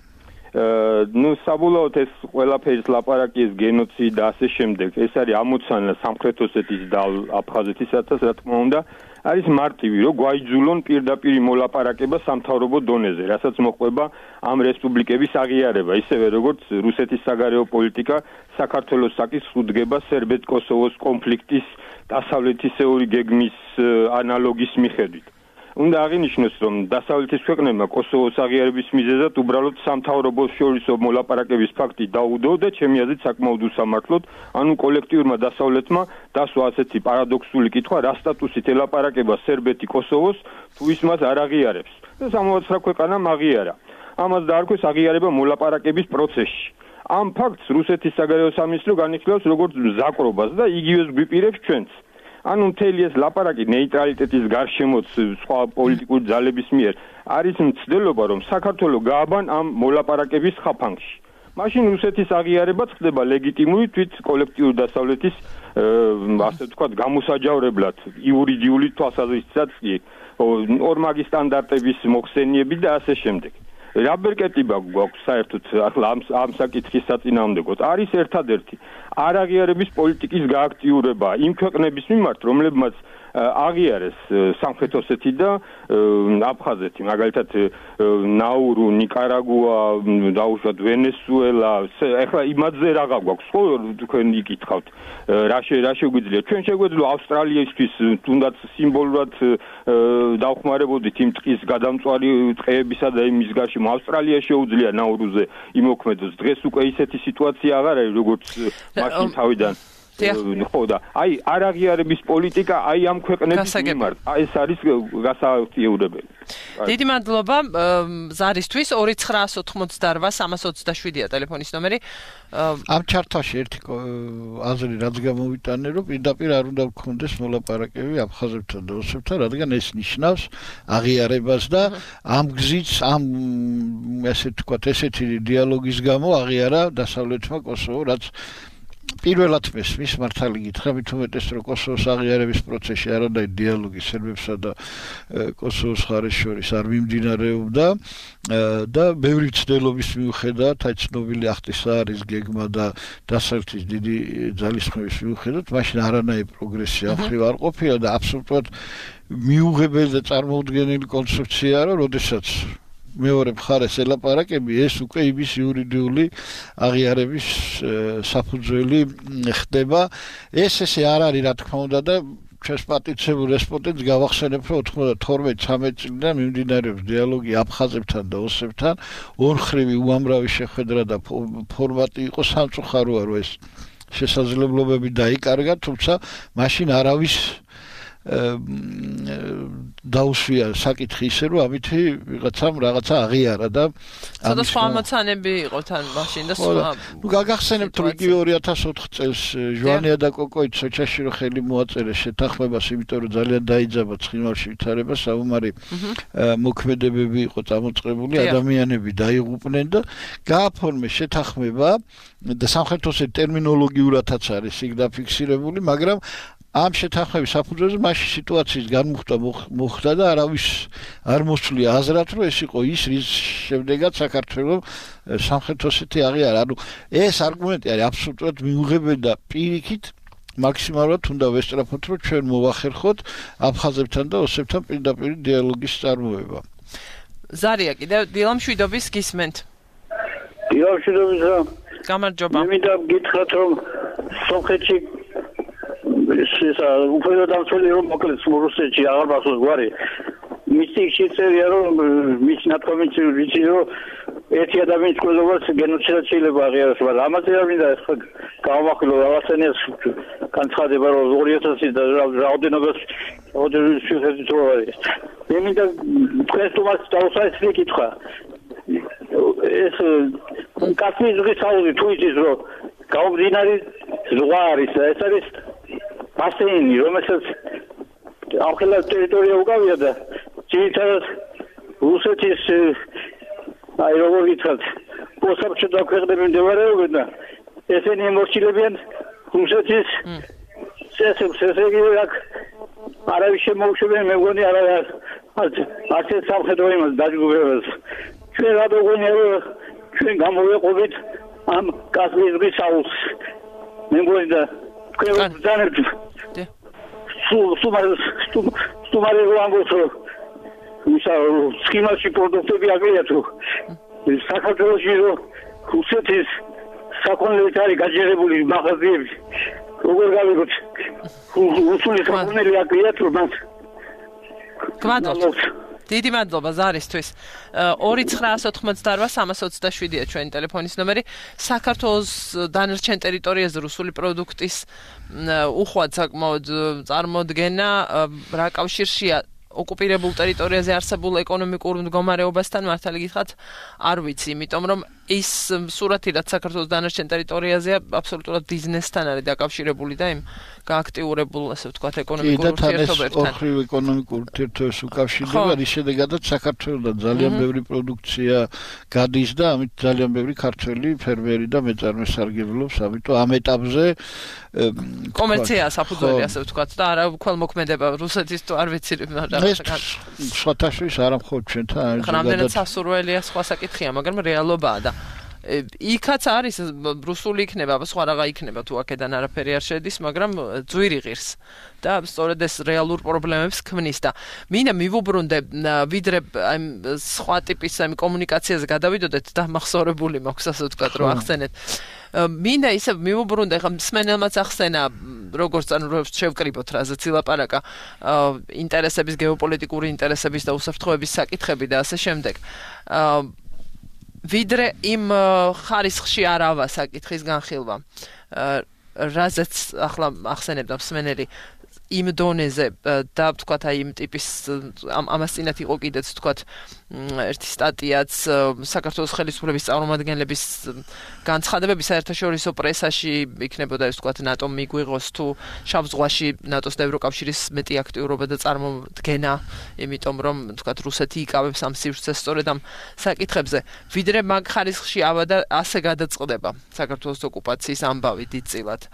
ნუ საბოლოოდ ეს ყველაფერი ლაპარაკი ეს გენოციდ და ასე შემდეგ ეს არის ამოცანა სამხრეთ ოსეთის და აფხაზეთისათვის რა თქმა უნდა არის მარტივი რომ გვაიძულონ პირდაპირ მოლაპარაკება სამთავრობო დონეზე რასაც მოყვება ამ რესპუბლიკების აღიარება ისევე როგორც რუსეთის საგარეო პოლიტიკა საქართველოს საკითხს უდგება სერბეთ-კოსოვოს კონფლიქტის დასავლეთისეული გეგმის ანალოგის მიხედვით უნდა აღინიშნოს, რომ დასავლეთის ქვეყნებმა კოსოვოს აღიარების მიზეზად უბრალოდ სამთავრობო შორისო მოლაპარაკების ფაქტი დაუდო და ჩემი აზრით საკმაოდ უსამართლოდ, ანუ კოლექტიურმა დასავლეთმა დასვა ასეთი პარადოქსული კითხვა, რა სტატუსით ელაპარაკება სერბეთი კოსოვოს, თუ ის მას არ აღიარებს. და სამოცდაათი ქვეყანამ აღიარა. ამას დაარქვეს აღიარება მოლაპარაკების პროცესში. ამ ფაქტს რუსეთის საგარეო სამინისტრო განიხილავს როგორც მზაკრობას და იგივეს გვიპირებს ჩვენც. ანუ მთელი ეს ლაპარაკი ნეიტრალიტეტის გარშემოც სხვა პოლიტიკური ძალების მიერ არის მცდელობა რომ საქართველოს გააბან ამ მოლაპარაკების ხაფანგში. მაშინ რუსეთის აღიარებაც ხდება ლეგიტიმური თვით კოლექტიური დასავლეთის ასე ვთქვათ გამოსაჯავრებლად იურიდიული თვალსაზრისითაც კი ორმაგი სტანდარტების მოხსენიები და ასე შემდეგ. რა ბერკეტიბა გვაქვს საერთოდ ახლა ამ ამ საკითხის საწინააღმდეგოდ არის ერთადერთი არაღიარების პოლიტიკის გააქტიურება იმ ქვეყნების მიმართ რომლებმაც აღიარეს სამხრეთ ოსეთი და აფხაზეთი მაგალითად ნაურუ, ნიკარაგუა, დაუშვათ ვენესუელა ახლა იმაზე რაღა გვაქვს ხო თქვენ იკითხავთ რა რა შეგვიძლია ჩვენ შეგვეძლო ავსტრალიისთვის თუნდაც სიმბოლურად დავხმარებოდით იმ ტყის გადამწვარი ტყეებისა და იმის გარშემო ავსტრალია შეუძლია ნაურუზე იმოქმედოს დღეს უკვე ისეთი სიტუაცია აღარ არის როგორც მაშინ თავიდან ხო და აი არაღიარების პოლიტიკა აი ამ ქვეყნების მიმართ ეს არის გასააქტიურებელი. დიდი მადლობა ზარისთვის ორი ცხრაას ოთხმოცდაორ სამას ოცდაშვიდია ტელეფონის ნომერი. ამ ჩარტაში ერთი აზრი რაც გამოვიტანე რომ პირდაპირ არ უნდა გქონდეს მოლაპარაკები აფხაზებთან და ოსებთან რადგან ეს ნიშნავს აღიარებას და ამ გზით ამ ესე თქვათ ესეთი დიალოგის გამო აღიარა დასავლეთმა კოსოვო რაც პირველად მის მართალი გითხრა მით უმეტეს რომ კოსოვოს აღიარების პროცესში არანაირი დიალოგი სერბებსა და კოსოვოს მხარეს შორის არ მიმდინარეობდა და ბევრი ცდელობის მიუხედავად აი ცნობილი ახტისა არის გეგმა და დასავლეთის დიდი ძალისხმევის მიუხედავად მაშინ არანაირი პროგრესი ამხრივ არ ყოფილა და აბსოლუტურად მიუღებელი და წარმოუდგენელი კონცეფციაა რომ როდესაც მეორე მხარეს ელაპარაკები, ეს უკვე იმის იურიდიული აღიარების საფუძველი ხდება. ეს ესე არ არის, რა თქმა უნდა და ჩვენს პატიცებულ რესპონდენტს გავახსენებ, რომ ოცდათორმეტ ცხრამეტ წლიდან მიმდინარეობს დიალოგი აფხაზებთან და ოსებთან, ორხრივი უამრავი შეხვედრა და ფორმატი იყო, სამწუხაროა, რომ ეს შესაძლებლობები დაიკარგა, თუმცა მაშინ არავის დაუსვია საკითხი ისე, რომ ამითი ვიღაცამ რაღაცა აღიარა და ცოტა სხვა ამოცანები იყო თან მაშინ და სხვა. ნუ გაგახსენებთ, რომ იგივე ორი ათას ოთხ წელს ჟვანია და კოკოით სოჭაში რო ხელი მოაწერეს შეთანხმებას, იმიტომ რომ ძალიან დაიძაბა ცხინვალში ვითარება, საუბარი მოქმედებები იყო წამოწყებული, ადამიანები დაიღუპნენ და გააფორმეს შეთანხმება და სამხრეთოსე ტერმინოლოგიურადაც არის იქ დაფიქსირებული, მაგრამ ამ შეთანხმების საფუძველზე მაშინ სიტუაციის განმუხტვა მოხდა და არავის არ მოსვლია აზრად, რომ ეს იყო ის, რის შემდეგაც საქართველოს სამხრეთ ოსეთი აღიარა. ანუ ეს არგუმენტი არის აბსოლუტურად მიუღებელი და პირიქით მაქსიმალურად უნდა ვესწრაფოთ, რომ ჩვენ მოვახერხოთ აფხაზებთან და ოსებთან პირდაპირ დიალოგის წარმოება. ზარია კიდევ დილამშვიდობის გისმენთ. დილამშვიდობის. გამარჯობა. მე მინდა გითხრათ, რომ სომხეთში ეს უფრო დამცველი რომ მოკლედ რუსეთში აღარ მახსოვს გვარი მისი შეწერია რომ მის ნათქვამით ვიცი რომ ერთი ადამიანის კვლევას გენოციდად შეიძლება აღიაროს, მაგრამ ამაზე არ მინდა ეს გავამახვილო რაღაცენეს განცხადება რომ ორი ათასი და რაოდენობას რაოდენობის შეხედვით რო არის. მე მინდა თქვენს თომას დავუსაჯეთ კითხვა. ეს კასპიის ზღვის აუზი თუ იცის რომ გაუგზინარი ზღვა არის, ეს არის ბასეინი, რომელსაც ახლა ტერიტორია უკავია და ძირითადად რუსეთის აი როგორ ვიტყვათ, პოსტსაბჭოთა ქვეყნები მდებარეობენ და ესენი ემორჩილებიან რუსეთის წესებს, ესე იგი აქ არავის შემოუშვებენ, მე მგონი არა არც ეს სამხედრო იმას დაჯგუფებას. ჩვენ რატო გვინდა რომ ჩვენ გამოვეყობით ამ კასპიის ზღვის აუზს. მე მგონი და თქვენ ბრძანებთ სუმარი სუმარი რამბოს ისა სქიმაში პროდუქტები აგიათ რომ საქართველოში რომ რუსეთის საკონლეთ არის გაჯერებული მაღაზიები როგორ გავიგოთ რუსული საკონლეთი აგიათ რომ მას გვადოთ დიდი მადლობა ზარისთვის. ორი ცხრაას ოთხმოცდაოთხ სამას ოცდაშვიდია ჩვენი ტელეფონის ნომერი. საქართველოს დანარჩენ ტერიტორიაზე რუსული პროდუქტის უხვად საკმაოდ წარმოდგენა რა კავშირშია ოკუპირებულ ტერიტორიაზე არსებულ ეკონომიკურ მდგომარეობასთან მართალი გითხრათ არ ვიცი, იმიტომ რომ ის სურათი რაც საქართველოს დანარჩენ ტერიტორიაზეა აბსოლუტურად ბიზნესთან არის დაკავშირებული და იმ გააქტიურებულ ასე ვთქვათ ეკონომიკურ ურთიერთობებთან. ოქრივ ეკონომიკურ ურთიერთობებს უკავშირდება, რის შედეგადაც საქართველოსთან ძალიან ბევრი პროდუქცია გადის და ამით ძალიან ბევრი ქართველი ფერმერი და მეწარმე სარგებლობს, ამიტომ ამ ეტაპზე კომერცია საფუძველი ასე ვთქვათ და არა ქველმოქმედება რუსეთის თუ არ ვიცი მაგრამ სხვათა შორის არა მხოლოდ ჩვენთან არის რამდენად სასურველია სხვა საკითხია, მაგრამ რეალობაა და იქაც არის რუსული იქნება, სხვა რაღა იქნება თუ აქედან არაფერი არ შედის, მაგრამ ძვირი ღირს და სწორედ ეს რეალურ პრობლემებს ქმნის და მინდა მივუბრუნდე ვიდრე აი სხვა ტიპის აი კომუნიკაციაზე გადავიდოდეთ და მახსოვრებული მაქვს ასე ვთქვათ რომ ახსენეთ. მინდა ისე მივუბრუნდე ხა მსმენელმაც ახსენა როგორც ანუ შევკრიბოთ რაზეც ილაპარაკა ინტერესების გეოპოლიტიკური ინტერესების და უსაფრთხოების საკითხები და ასე შემდეგ. ვიდრე იმ ხარისხში არ ავა საკითხის განხილვა რაზეც ახლა ახსენებდა მსმენელი იმ დონეზე და ვთქვათ აი იმ ტიპის ამას წინათ იყო კიდეც ვთქვათ ერთი სტატიაც საქართველოს ხელისუფლების წარმომადგენლების განცხადებები საერთაშორისო პრესაში იქნებოდა ეს ვთქვათ ნატომ მიგვიღოს თუ შავ ზღვაში ნატოს და ევროკავშირის მეტი აქტიურობა და წარმოდგენა, იმიტომ რომ ვთქვათ რუსეთი იკავებს ამ სივრცეს სწორედ ამ საკითხებზე. ვიდრე მაგ ხარისხში ავა და ასე გადაწყდება საქართველოს ოკუპაციის ამბავი დიდწილად.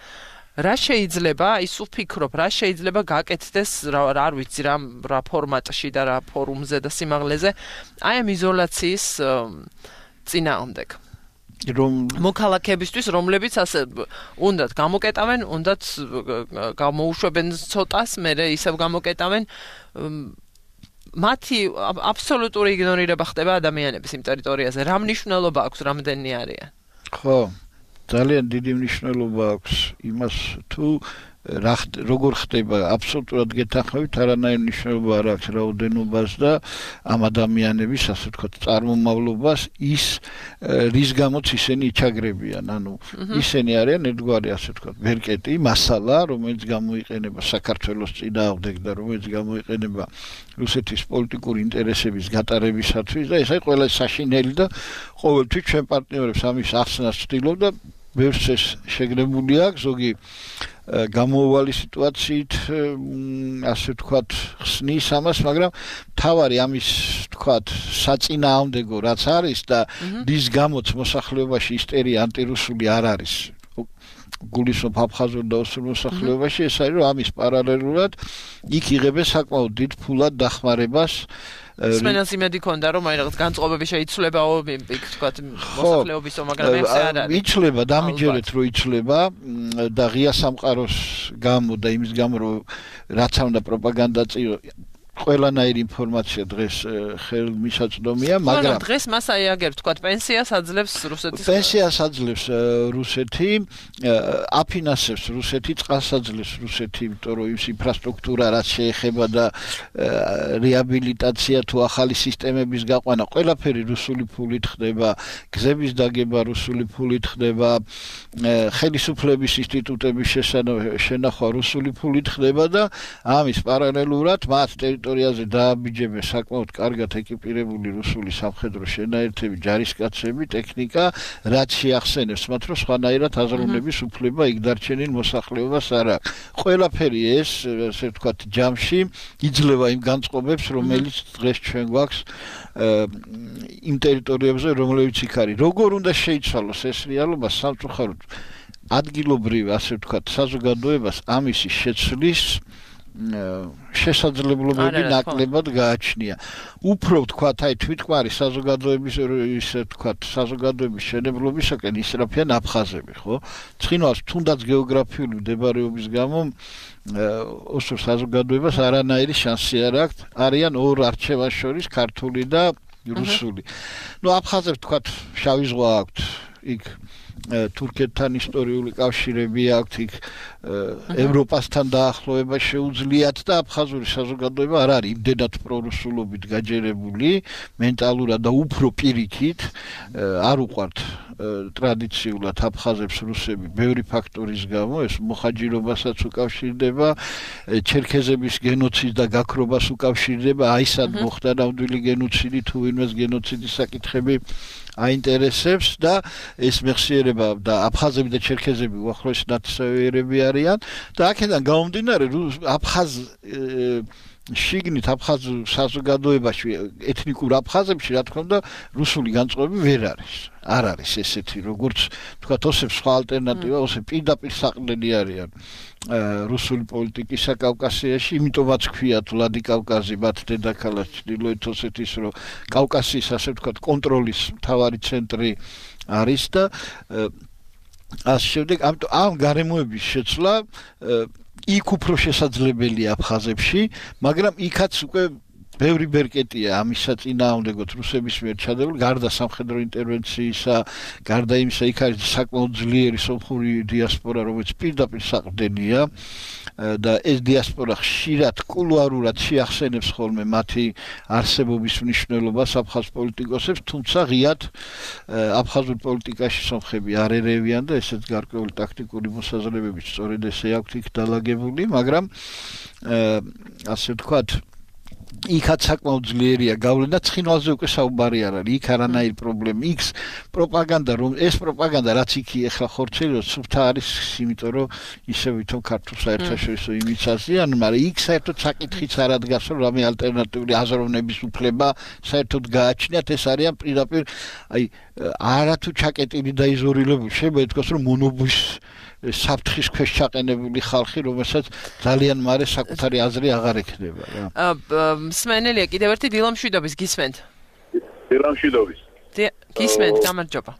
რა შეიძლება, ის ვფიქრობ, რა შეიძლება გაკეთდეს, რა არ ვიცი, რა რა ფორმატში და რა ფორუმზე და სიმაღლეზე, აი ამ იზოლაციის წინააღმდეგ. რომ მოქალაქეებისთვის, რომლებიც ასე უნდათ გამოკეტავენ, უნდათ გამოუშვებენ ცოტას, მერე ისევ გამოკეტავენ მათი აბსოლუტური იგნორირება ხდება ადამიანების იმ ტერიტორიაზე. რა მნიშვნელობა აქვს რამდენი არიან? ხო, ძალიან დიდი მნიშვნელობა აქვს იმას თუ რა როგორ ხდება აბსოლუტურად გეთანხმებით არანაირი მნიშვნელობა არ აქვს რაოდენობას და ამ ადამიანების ასე ვთქვათ წარმომავლობას ის რის გამოც ისინი ჩაგრებიან ანუ ისინი არიან ერთგვარი ასე ვთქვათ ვერკეტი მასალა რომელიც გამოიყენება საქართველოს წინააღმდეგ და რომელიც გამოიყენება რუსეთის პოლიტიკური ინტერესების გატარებისათვის და ესაა ყველა საშინელი და ყოველთვის ჩვენ პარტნიორებს ამის ახსნას ვცდილობ და ბევრს ეს შეგნებული აქვს ზოგი გამოუვალი სიტუაციით ასე ვთქვათ ხსნის ამას მაგრამ თავარი ამის ვთქვათ საწინააღმდეგო რაც არის და რის გამოც მოსახლეობაში ისტერია ანტირუსული არ არის გულისხმობ აფხაზურ და ოსურ მოსახლეობაში ეს არის რომ ამის პარალელურად იქ იღებენ საკმაოდ დიდ ფულად დახმარებას სპენელს იმედი ქონდა რომ აი რაღაც განწყობები შეიცვლებაო იქ ვთქვათ მოსახლეობისო მაგრამ ეს არ არის იცვლება დამიჯერეთ რომ იცვლება და ღია სამყაროს გამო და იმის გამო რომ რაც უნდა პროპაგანდა წირო ყველანაირი ინფორმაცია დღეს ხელმისაწვდომია მაგრამ დღეს მას აი აგერ ვთქვათ პენსიას აძლევს რუსეთის პენსიას აძლევს რუსეთი აფინანსებს რუსეთი წყალს აძლევს რუსეთი იმიტომ რომ ის ინფრასტრუქტურა რაც შეეხება და რეაბილიტაცია თუ ახალი სისტემების გაყვანა ყველაფერი რუსული ფულით ხდება გზების დაგება რუსული ფულით ხდება ხელისუფლების ინსტიტუტების შენახვა რუსული ფულით ხდება და ამის პარალელურად მათ ტერიტორიაზე დააბიჯებენ საკმაოდ კარგად ეკიპირებული რუსული სამხედრო შენაერთები, ჯარისკაცები, ტექნიკა, რაც შეახსენებს მათ, რომ სხვანაირად აზროვნების უფლება იქ დარჩენილ მოსახლეობას არ აქვს. ყველაფერი ეს, ასე ვთქვათ, ჯამში იძლევა იმ განწყობებს, რომელიც დღეს ჩვენ გვაქვს იმ ტერიტორიებზე, რომლებიც იქ არის. როგორ უნდა შეიცვალოს ეს რეალობა სამწუხაროდ ადგილობრივ, ასე ვთქვათ, საზოგადოებას ამისი შეცვლის შესაძლებლობები ნაკლებად გააჩნია. უფრო ვთქვათ, აი თვითკმარი საზოგადოების ისე ვთქვათ, საზოგადოების შენებლობისაკენ ისრაფიან აფხაზები, ხო? ცხინვალს თუნდაც გეოგრაფიული მდებარეობის გამო ოსურ საზოგადოებას არანაირი შანსი არ აქვს. არიან ორ არჩევას შორის ქართული და რუსული. ნუ აფხაზებს ვთქვათ, შავი ზღვა აქვთ იქ თურქეთთან ისტორიული კავშირები აქვთ იქ ევროპასთან დაახლოება შეუძლიათ და აფხაზური საზოგადოება არ არის იმდენად პრორუსულობით გაჯერებული მენტალურად და უფრო პირიქით არ უყვართ ტრადიციულად აფხაზებს რუსები ბევრი ფაქტორის გამო ეს მოხაჯირობასაც უკავშირდება ჩერქეზების გენოციდს და გაქრობას უკავშირდება აი სად მოხდა ნამდვილი გენოციდი თუ ვინმეს გენოციდის საკითხები აინტერესებს და ეს მეხსიერება და აფხაზები და ჩერქეზები უახლოესი ნაცნობიერები არიან და აქედან გამომდინარე აფხაზ შიგნით აფხაზ საზოგადოებაში ეთნიკურ აფხაზებში რა თქმა უნდა რუსული განწყობები ვერ არის არ არის ესეთი როგორც თქვა ოსებს სხვა ალტერნატივა ოსები პირდაპირ საყრდენი არიან რუსული პოლიტიკისა კავკასიაში იმიტომაც ქვიათ ვლადიკავკაზი მათ დედაქალაქ ჩრდილოეთ ოსეთის რომ კავკასიის ასე ვთქვათ კონტროლის მთავარი ცენტრი არის და ასე შემდეგ ამიტომ ამ გარემოების შეცვლა იქ უფრო შესაძლებელია აფხაზებში, მაგრამ იქაც უკვე ბევრი ბერკეტია ამისა წინააღმდეგოთ რუსების მიერ ჩადებული, გარდა სამხედრო ინტერვენციისა, გარდა იმისა, იქ არის საკმაოდ ძლიერი სომხური დიასპორა, რომელიც პირდაპირ საყრდენია და ეს დიასპორა ხშირად კულუარულად შეახსენებს ხოლმე მათი არსებობის მნიშვნელობას აფხაზ პოლიტიკოსებს, თუმცა ღიად აფხაზურ პოლიტიკაში სომხები არ ერევიან და ესეც გარკვეული ტაქტიკური მოსაზრებებით სწორედ ესე აქვთ იქ დალაგებული, მაგრამ ასე ვთქვათ იქაც საკმაოდ ძლიერია გავლენა ცხინვალზე უკვე საუბარი არ არის იქ არანაირი პრობლემა იქ პროპაგანდა რომ ეს პროპაგანდა რაც იქ ეხლა ხორცელობს სუფთა არის იმიტომ რომ ისე ვითომ ქართულ საერთაშორისო იმიცაზიან მაგრამ იქ საერთოდ საკითხიც არ ადგას რომ რამე ალტერნატიული აზროვნების უფლება საერთოდ გააჩნიათ ეს არიან პირდაპირ აი არათუ ჩაკეტილი და იზოლირებული შეიძლება ითქვას რომ მონობის საფრთხის ქვეშ ჩაყენებული ხალხი, რომელსაც ძალიან მარე საკუთარი აზრი აღარ ექნება რა. მსმენელია კიდევ ერთი დილამშვიდობის გისმენთ. დილამშვიდობის. გისმენთ, გამარჯობა.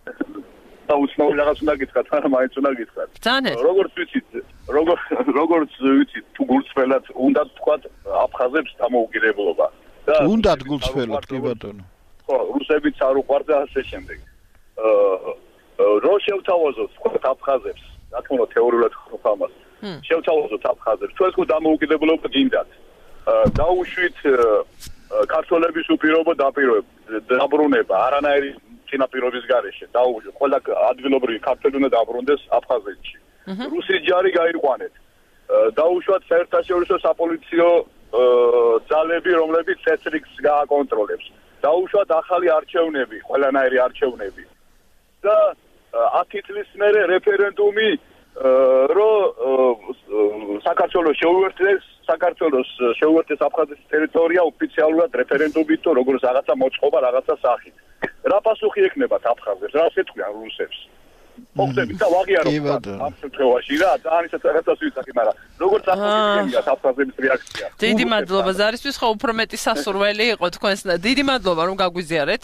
და უცნაური რაღაც უნდა გითხრათ, არა მაინც უნდა გითხრათ. ბრძანეთ. როგორც ვიცით, როგორ როგორც ვიცით, თუ გულწრფელად უნდა თქვათ აფხაზებს დამოუკიდებლობა. და უნდათ გულწრფელად კი ბატონო. ხო, რუსებიც არ უყვართ და ასე შემდეგ. აა რო შევთავაზოთ თქვა აფხაზებს, რა თქმა უნდა თეორიულად ხდება ამას. შევთავაზოთ აფხაზებს, თქვენ თქო დამოუკიდებლობა გინდათ. დაუშვით ქართველების უპირობო დაბრუნება, არანაირი წინაპირობის გარეშე. დაუშვით ყველა ადგილობრივი ქართველი უნდა დაბრუნდეს აფხაზეთში. რუსი ჯარი გაიყვანეთ. დაუშვათ საერთაშორისო საპოლიციო ძალები, რომლებიც წესრიგს გააკონტროლებს. დაუშვათ ახალი არჩევნები, ყველანაირი არჩევნები. და ათი წლის მერე რეფერენდუმი რო საქართველოს შეუერთდეს საქართველოს შეუერთდეს აფხაზეთის ტერიტორია ოფიციალურად რეფერენდუმით თუ როგორც რაღაცა მოწყობა რაღაცა სახით. რა პასუხი ექნებათ აფხაზებს? რა ეთქვიან რუსებს? მოხდებით და ვაღიაროთ ამ შემთხვევაში რა ძალიან ისეთ რაღაცას ვიცახი, მაგრამ როგორც ახლა აფხაზების რეაქცია. დიდი მადლობა ზარისთვის, ხო უფრო მეტი სასურველი იყო თქვენს. დიდი მადლობა რომ გაგვიზიარეთ,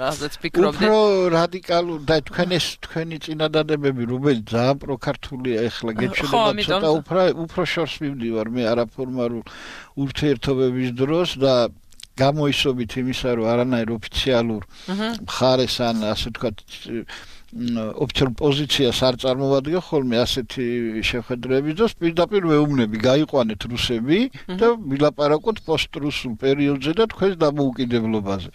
რაზეც ფიქრობდით. უფრო რადიკალურ და თქვენ ეს თქვენი წინადადებები რუბელი ძალიან პროქართულია ახლა გეჩვენება ცოტა უფრო უფრო შორს მივდივარ მე არაფორმალურ ურთიერთობების დროს და გამოისობით იმისა რომ არანაირ ოფიციალურ მხარეს ან ასე ვთქვათ ოფიციალურ პოზიციას არ წარმოვადგენ ხოლმე ასეთი შეხედრების დროს პირდაპირ ვეუბნები გაიყვანეთ რუსები და ვილაპარაკოთ პოსტრუსულ პერიოდზე და თქვენს დამოუკიდებლობაზე.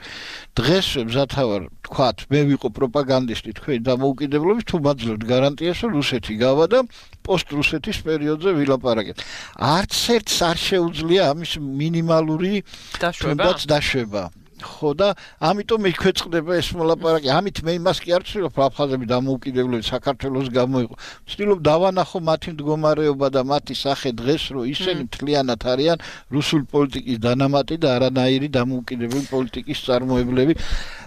დღესვე მზათა ვარ თქვათ მე ვიყო პროპაგანდისტი თქვენი დამოუკიდებლობის თუ მაძლევთ გარანტიას რომ რუსეთი გავა და პოსტრუსეთის პერიოდზე ვილაპარაკეთ. არც ერთს არ შეუძლია ამის მინიმალური თუნდაც დაშვება. ხო და ამიტომ მექვეწყდება ეს მოლაპარაკე. ამით მე იმას კი არ ვცდილობ აფხაზები დამოუკიდებლები საქართველოს გამოიყო. ვცდილობ დავანახო მათი მდგომარეობა და მათი სახე დღეს რომ ისინი მთლიანად არიან რუსული პოლიტიკის დანამატი და არანაირი დამოუკიდებელი პოლიტიკის წარმოებლები.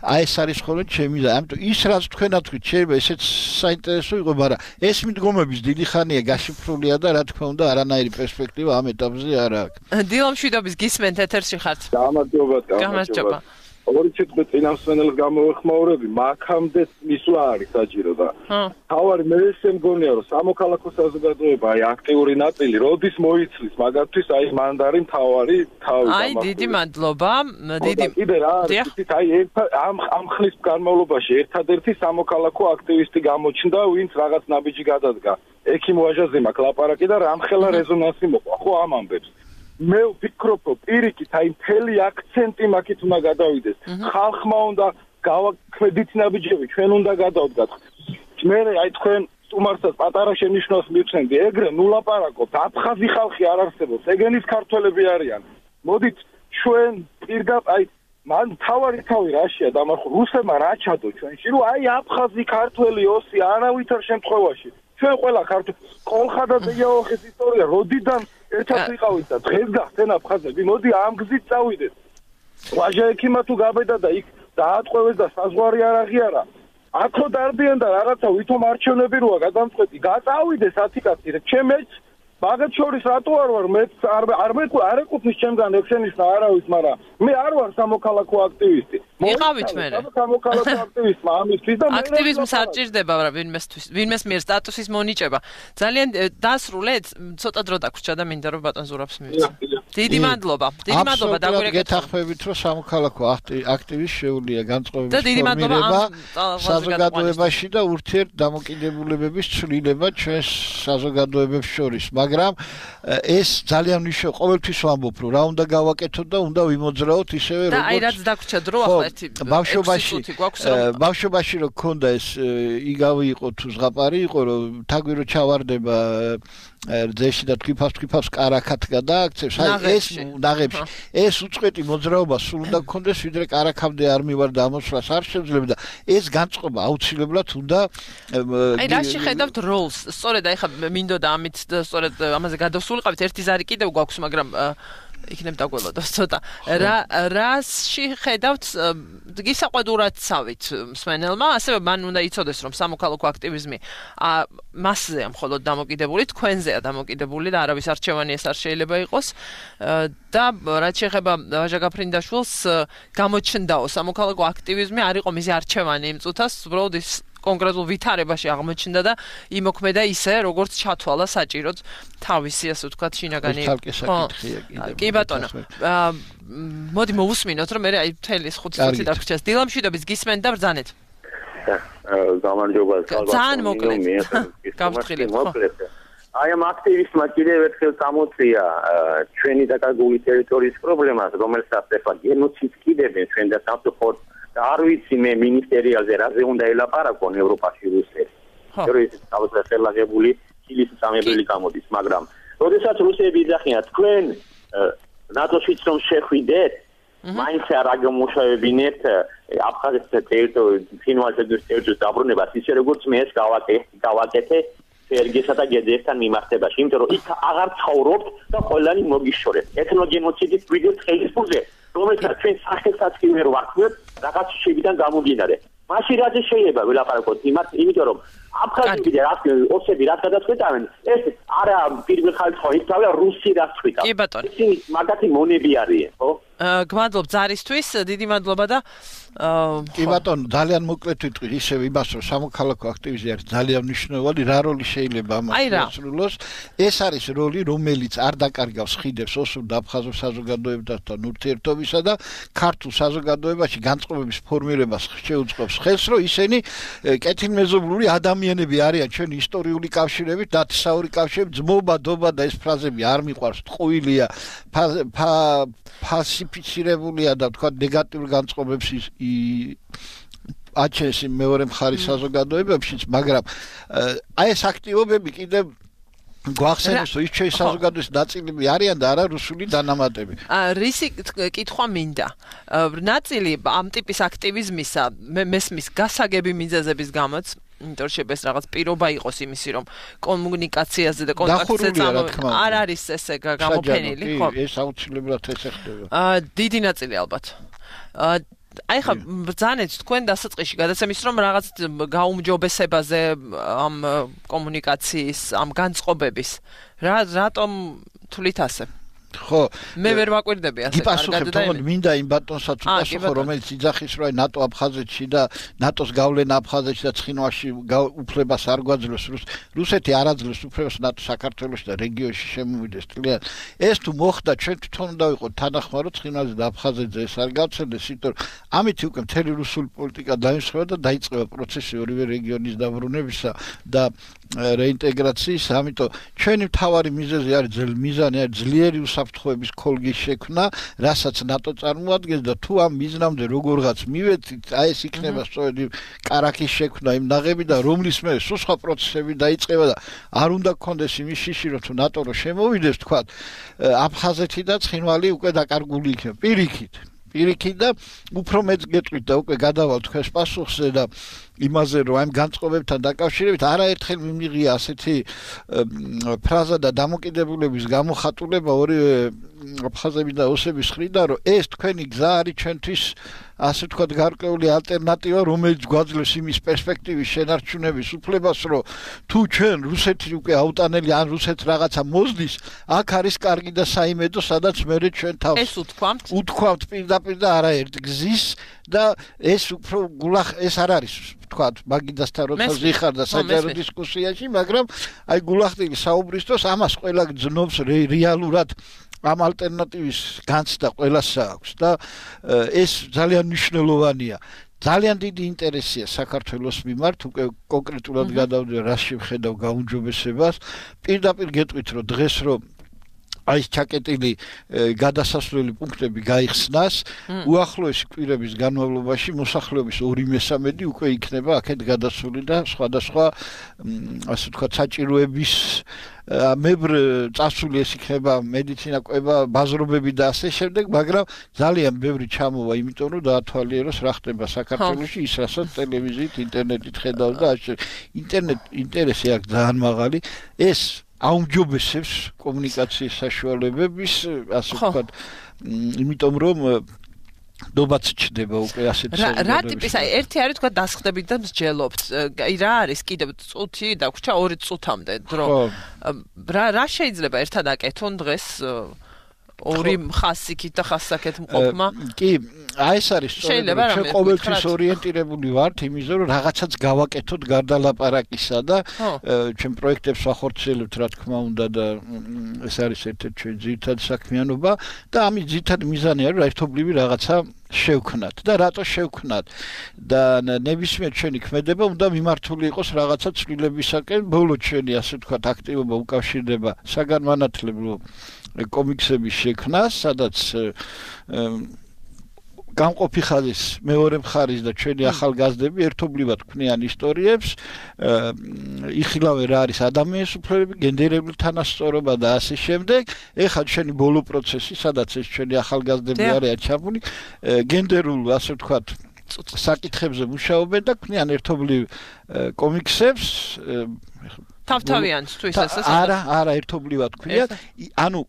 აი ეს არის ხოლმე ჩემი და ამიტომ ის რაც თქვენ ათქვით შეიძლება ესეც საინტერესო იყო, მაგრამ ეს მიდგომების დიდი ხანია გაშიფრულია და რა თქმა უნდა არანაირი პერსპექტივა ამ ეტაპზე არ აქვს. დილო მშვიდობის გისმენთ ეთერში ხართ. გამარჯობა, გამარჯობა. ორი სიტყვით წინამსვენელს გამოვეხმაურები, მაგამდე მისვლა არის საჭირო და თავარი მე ესე მგონია რომ სამოქალაქო საზოგადოება აი აქტიური ნაწილი როდის მოიცლის მაგათთვის აი მანდარი მთავარი თავი აი დიდი მადლობა დიდი კიდე რა არის აი ამ ამ ხნის განმავლობაში ერთადერთი სამოქალაქო აქტივისტი გამოჩნდა ვინც რაღაც ნაბიჯი გადადგა ექიმ ვაჟაზე მაქვს ლაპარაკი და რამხელა რეზონანსი მოყვა ხო ამ ამბებს მე ვფიქრობ რომ პირიქით აი მთელი აქცენტი მაგით უნდა გადავიდეს ხალხმა უნდა გავაქმედით ნაბიჯები ჩვენ უნდა გადავდგათ მე აი თქვენ სტუმარსაც პატარა შენიშვნას მივცემდი ეგრე ნუ ლაპარაკობთ აფხაზი ხალხი არ არსებობს ეგენის ქართველები არიან მოდით ჩვენ პირდაპირ აი მან თავარი თავი რაშია დამარხო რუსებმა რა ჩადო ჩვენში რომ აი აფხაზი ქართველი ოსი არავითარ შემთხვევაში ჩვენ ყველა ქართველი კოლხადა და იაოხის ისტორია როდიდან ერთად ვიყავით და დღეს გახსენ აფხაზები მოდი ამ გზით წავიდეთ ვაჟა ექიმა თუ გაბედა და იქ დაატყვევეს და საზღვარი არ აღიარა აქო დარდიან და რაღაცა ვითომ არჩევნები როა გადამწყვეტი გაწავიდეს ათიკაცი ჩემეც მაგათ შორის რატო არ ვარ მე არ არ მე არ ეკუთვნის ჩემგან ექშენიშნა არავის მაგრამ მე არ ვარ სამოქალაქო აქტივისტი იყავით მე სამოქალაქო აქტივისტმა ამისთვის და მე აქტივიზმს არ ჭირდება ვინმესთვის ვინმეს მიერ სტატუსის მონიჭება ძალიან დასრულეთ ცოტა დრო დაგვრჩა და მინდა რომ ბატონ ზურაბს მივიცე დიდი მადლობა დიდი მადლობა დაგვირეკეთ გეთახმებით რომ სამოქალაქო აქტივისტ შეუძლია განწყობების ფორმირება საზოგადოებაში და ურთიერთ დამოკიდებულებების ცვლილება ჩვენს საზოგადოებებს შორის მაგრამ ეს ძალიან მნიშვნელოვანია ყოველთვის ვამბობ რომ რა უნდა გავაკეთოთ და უნდა ვიმოძრაოთ ისევე როგორც და აი რაც დაგვრჩა დრო ახლა ერთი ბავშვობაში ბავშვობაში რო ქონდა ეს იგავი იყო თუ ზღაპარი იყო რომ თაგვირო ჩავარდება ძეში და თქიფას თქიფას კარაქად გადააქცევს აი ეს ნაღებში ეს უწყვეტი მოძრაობა სულ უნდა გქონდეს ვიდრე კარაქამდე არ მივარ და ამოსვლას არ შეძლებ და ეს განწყობა აუცილებლად უნდა აი რა შეხედავთ როლს სწორედ აი ხა მინდოდა ამით სწორედ ამაზე გადავსულიყავით ერთი ზარი კიდევ გვაქვს მაგრამ იქნებ დაგველოდოს ცოტა რა რაში ხედავთ გისაყვედურად წავით მსმენელმა ასევე მან უნდა იცოდეს რომ სამოქალაქო აქტივიზმი მასზეა მხოლოდ დამოკიდებული თქვენზეა დამოკიდებული და არავის არჩევანი ეს არ შეიძლება იყოს და რაც შეეხება ვაჟა გაფრინდაშვილს გამოჩნდაო სამოქალაქო აქტივიზმი არ იყო მისი არჩევანი იმ წუთას უბრალოდ ის კონკრეტულ ვითარებაში აღმოჩნდა და იმოქმედა ისე, როგორც ჩათვალა საჭიროდ თავისი, ასე ვთქვათ, შინაგანი. კი ბატონო. მოდი მოვუსმინოთ, რომ მე აი მთელი ხუთი წუთი დაგვრჩას. დილამშვიდობის გისმენთ და ბრძანეთ. გამარჯობა, ძალიან მოკლედ. გავფრთხილებ, ხო? აი ამ აქტივისტმა კიდევ ერთხელ წამოწია ჩვენი დაკარგული ტერიტორიის პრობლემას, რომელსაც ახლა გენოციდს კიდებენ ჩვენ და სამწუხაროდ და არ ვიცი მე მინისტერიალზე რაზე უნდა ელაპარაკონ ევროპაში რუსეთი. თორემ თავისუფლად ხელაღებული ჩილის წამებელი გამოდის, მაგრამ როდესაც რუსები იძახიან თქვენ ნატოშიც რომ შეხვიდეთ, მაინც არ აგმოშავებინეთ აფხაზეთის ტერიტორიის ფინვალიზების ტერიტორიის დაბრუნებას, ისე როგორც მე ეს გავაკეთე ერგესა და გედესთან მიმართებაში, იმიტომ რომ იქ აღარ ცხოვრობთ და ყველანი მოგიშორეთ. ეთნოგენოციდის ვიდეო ხელისფულზე, რომელსაც ჩვენ სახელსაც კი ვერ ვაქმნებთ, რაღაც შევიდან გამომდინარე. მაშინ რაც შეიძლება ველაპარაკოთ იმათ, იმიტომ რომ აფხაზები და ოსები რაც გადაწყვეტავენ, ეს არა პირველ ხალხს ხო ისწავლა რუსი რაც ხვიტა. კი ბატონო. ისინი მაგათი მონები არიან, ხო? გმადლობ ზარისთვის, დიდი მადლობა და კი ბატონო, ძალიან მოკლედ ვიტყვი, ისევ იმას რომ სამოქალაქო აქტივიზმი არის ძალიან მნიშვნელოვანი, რა როლი შეიძლება ამას შეასრულოს. ეს არის როლი, რომელიც არ დაკარგავს ხიდებს ოსურ და აფხაზურ საზოგადოებასთან ურთიერთობისა და ქართულ საზოგადოებაში განწყობების ფორმირებას შეუწყობს ხელს, რომ ისინი კეთილმეზობლური ადამიანები არიან ჩვენი ისტორიული კავშირებით, ნათესაური კავშირებით, ძმობა, დობა და ეს ფრაზები არ მიყვარს, ტყუილია, ფასიფიცირებულია და თქვა ნეგატიურ განწყობებს აჩენს მეორე მხარის საზოგადოებებშიც, მაგრამ აი ეს აქტივობები კიდევ გვახსენებს, რომ ის ჩვენი საზოგადოების ნაწილები არიან და არა რუსული დანამატები. რისი კითხვა მინდა. ნაწილი ამ ტიპის აქტივიზმისა მესმის გასაგები მიზეზების გამოც, იმიტომ რომ შეიძლება ეს რაღაც პირობა იყოს იმისი, რომ კომუნიკაციაზე და კონტაქტზე წამო არ არის ესე გამოფენილი, ხო? ეს აუცილებლად ესე ხდება. დიდი ნაწილი ალბათ. აი ხა ბრძანეთ თქვენ დასაწყისში გადაცემის რომ რაღაც გაუმჯობესებაზე ამ კომუნიკაციის ამ განწყობების რა რატომ თვლით ასე ხო მე ვერ ვაკვირდები ასე კარგად და მინდა იმ ბატონსაც უპასუხო რომელიც იძახის რომ ნატო აფხაზეთში და ნატოს გავლენა აფხაზეთში და ცხინვალში უფლებას არ გვაძლევს რუსეთი არ აძლევს უფლებას ნატო საქართველოში და რეგიონში შემოვიდეს თლიან ეს თუ მოხდა ჩვენ თვითონ უნდა ვიყოთ თანახმარო ცხინვალზე და აფხაზეთზე ეს არ გავცელდეს იმიტომ რომ ამით უკვე მთელი რუსული პოლიტიკა დაიმსხვრა და დაიწყება პროცესი ორივე რეგიონის დაბრუნებისა და რეინტეგრაციის ამიტომ ჩვენი მთავარი მიზეზი არის მიზანი არის ძლიერი უსაფრთხოების ქოლგის შექმნა, რასაც ნატო წარმოადგენს და თუ ამ მიზნამდე როგორღაც მივედით, აი ეს იქნება სწორედ კარაქის შექმნა იმ ნაღები და რომლის მე სულ სხვა პროცესები დაიწყება და არ უნდა გქონდეს იმის შიში რომ თუ ნატო რო შემოვიდეს თქვა აფხაზეთი და ცხინვალი უკვე დაკარგული იქნება პირიქით პირიქით და უფრო მეც გეტყვით და უკვე გადავალ თქვენს პასუხზე და იმაზე რომ ამ განწყობებთან დაკავშირებით არაერთხელ მიმიღია ასეთი ფრაზა და დამოკიდებულების გამოხატულება ორივე აფხაზების და ოსების მხრიდან რომ ეს თქვენი გზა არის ჩვენთვის ასე ვთქვათ გარკვეული ალტერნატივა რომელიც გვაძლევს იმის პერსპექტივის შენარჩუნების უფლებას რომ თუ ჩვენ რუსეთი უკვე აუტანელი ან რუსეთს რაღაცა მოსდის აქ არის კარგი და საიმედო სადაც მე ჩვენ თავს ეს უთქვამთ უთქვამთ პირდაპირ და არაერთ გზის და ეს უფრო გულახ ეს არ არის ვთქვათ მაგიდასთან როცა ზიხარ და საჯარო დისკუსიაში მაგრამ აი გულახდილი საუბრის დროს ამას ყველა გძნობს რეალურად ამ ალტერნატივის განცდა ყველას აქვს და ეს ძალიან მნიშვნელოვანია. ძალიან დიდი ინტერესია საქართველოს მიმართ, უკვე კონკრეტულად გადავდე რა შევხედავ გაუმჯობესებას. პირდაპირ გეტყვით რომ დღეს რომ აი ეს ჩაკეტილი გადასასვლელი პუნქტები გაიხსნას, უახლოესი კვირების განმავლობაში მოსახლეობის ორი მესამედი უკვე იქნება აქეთ გადასული და სხვადასხვა ასე ვთქვათ საჭიროების მებრ წასული ეს იქნება მედიცინა კვება ბაზრობები და ასე შემდეგ, მაგრამ ძალიან ბევრი ჩამოვა, იმიტომ რომ დაათვალიეროს რა ხდება საქართველოში, ის რასაც ტელევიზიით, ინტერნეტით ხედავ და ინტერნეტ ინტერესი აქვს ძალიან მაღალი. ეს აუმჯობესებს კომუნიკაციის საშუალებების, ასე ვთქვათ, იმიტომ რომ დობაც ჩდება უკვე ასეთ საზოგადოებაში. რა ტიპის, აი ერთი არის თქვა დასხდებით და მსჯელობთ. აი რა არის კიდევ წუთი დაგვრჩა ორი წუთამდე დრო. რა რა შეიძლება ერთად აკეთონ დღეს ორი ხასიკით და ხასსაკეთ მყოფმა. კი, აი ეს არის სწორედ ჩვენ ყოველთვის ორიენტირებული ვართ იმისზე, რომ რაღაცაც გავაკეთოთ გარდა ლაპარაკისა და ჩვენ პროექტებს ვახორციელებთ, რა თქმა უნდა და ეს არის ერთ-ერთი ჩვენ ძირითადი საქმიანობა და ამის ძირითადი მიზანი არის, რომ ერთობლივი რაღაცა შევქნათ და რატო შევქნათ და ნებისმიერ ჩვენი ქმედება უნდა მიმართული იყოს რაღაცა ცვლილებისაკენ. ბოლო ჩვენი ასე ვთქვათ აქტივობა უკავშირდება საგანმანათლებლო კომიქსების შექმნას, სადაც გამყოფი ხაზის მეორე მხარის და ჩვენი ახალგაზრდები ერთობლივად ქმნიან ისტორიებს, იხილავენ რა არის ადამიანის უფლებები, გენდერული თანასწორობა და ასე შემდეგ. ეხლა ჩვენი ბოლო პროცესი, სადაც ეს ჩვენი ახალგაზრდები არიან ჩაბმული, გენდერულ ასე ვთქვათ საკითხებზე მუშაობენ და ქმნიან ერთობლივ კომიქსებს. თავთავიანს თუ ისე არა, არა ერთობლივად ქმნიან. ანუ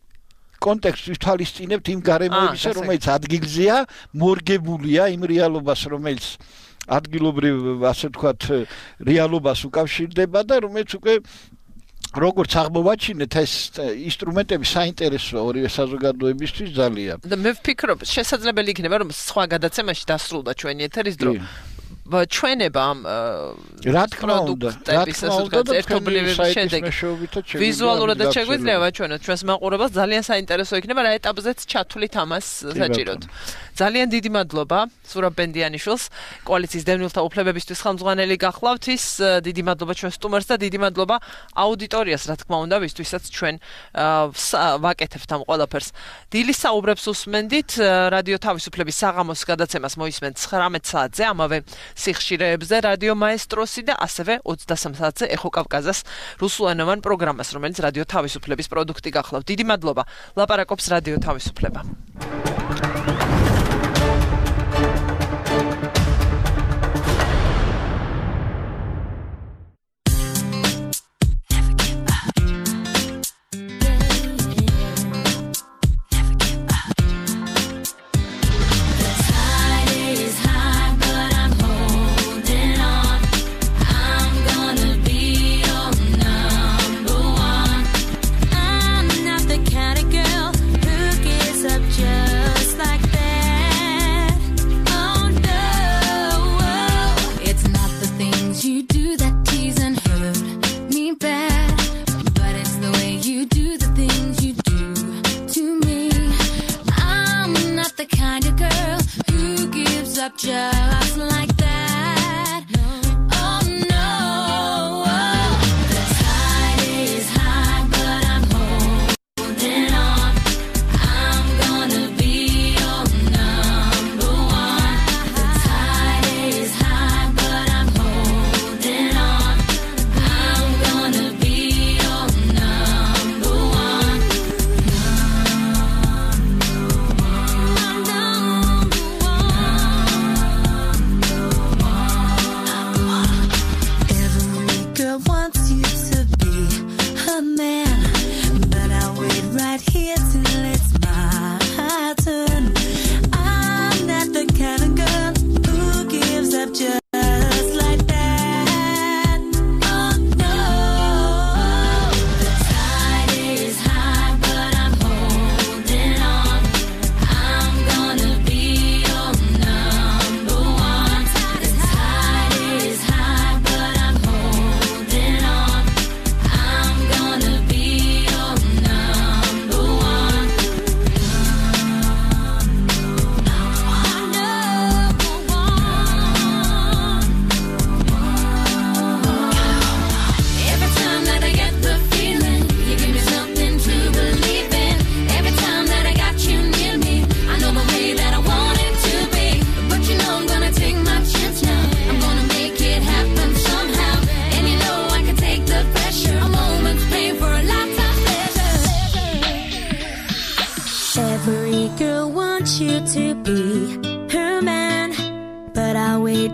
კონტექსტს ვითვალისწინებთ იმ გარემოებისა, რომელიც ადგილზეა, მორგებულია იმ რეალობას, რომელიც ადგილობრივ, ასე ვთქვათ, რეალობას უკავშირდება და რომელიც უკვე როგორც აღმოვაჩინეთ, ეს ინსტრუმენტები საინტერესოა ორივე საზოგადოებისთვის ძალიან. და მე ვფიქრობ, შესაძლებელი იქნება, რომ სხვა გადაცემაში დასრულდა ჩვენი ეთერის დრო. ჩვენება ამ რა თქმა უნდა, რა თქმა უნდა, ერთობლივი შედეგი ვიზუალურად და შეგვიძლია ვაჩვენოთ ჩვენს მაყურებელს, ძალიან საინტერესო იქნება რა ეტაპზეც ჩათვლით ამას საჭიროდ. ძალიან დიდი მადლობა ზურაბ ბენდიანიშვილს, კოალიციის დევნილთა უფლებებისთვის ხელმძღვანელი გახლავთ ის, დიდი მადლობა ჩვენ სტუმარს და დიდი მადლობა აუდიტორიას, რა თქმა უნდა, ვისთვისაც ჩვენ ვაკეთებთ ამ ყველაფერს. დილის საუბრებს უსმენდით, რადიო თავისუფლების საღამოს გადაცემას მოისმენთ ცხრამეტ საათზე, ამავე სიხშირეებზე რადიო მაესტროსი და ასევე ოცდასამ საათზე ეხო კავკაზას რუსულენოვან პროგრამას, რომელიც რადიო თავისუფლების პროდუქტი გახლავთ. დიდი მადლობა. ლაპარაკობს რადიო თავისუფლება. Just like that. Oh no. The tide is high, but I'm holding on. I'm gonna be your number one. The tide is high, but I'm holding on. I'm gonna be your number one.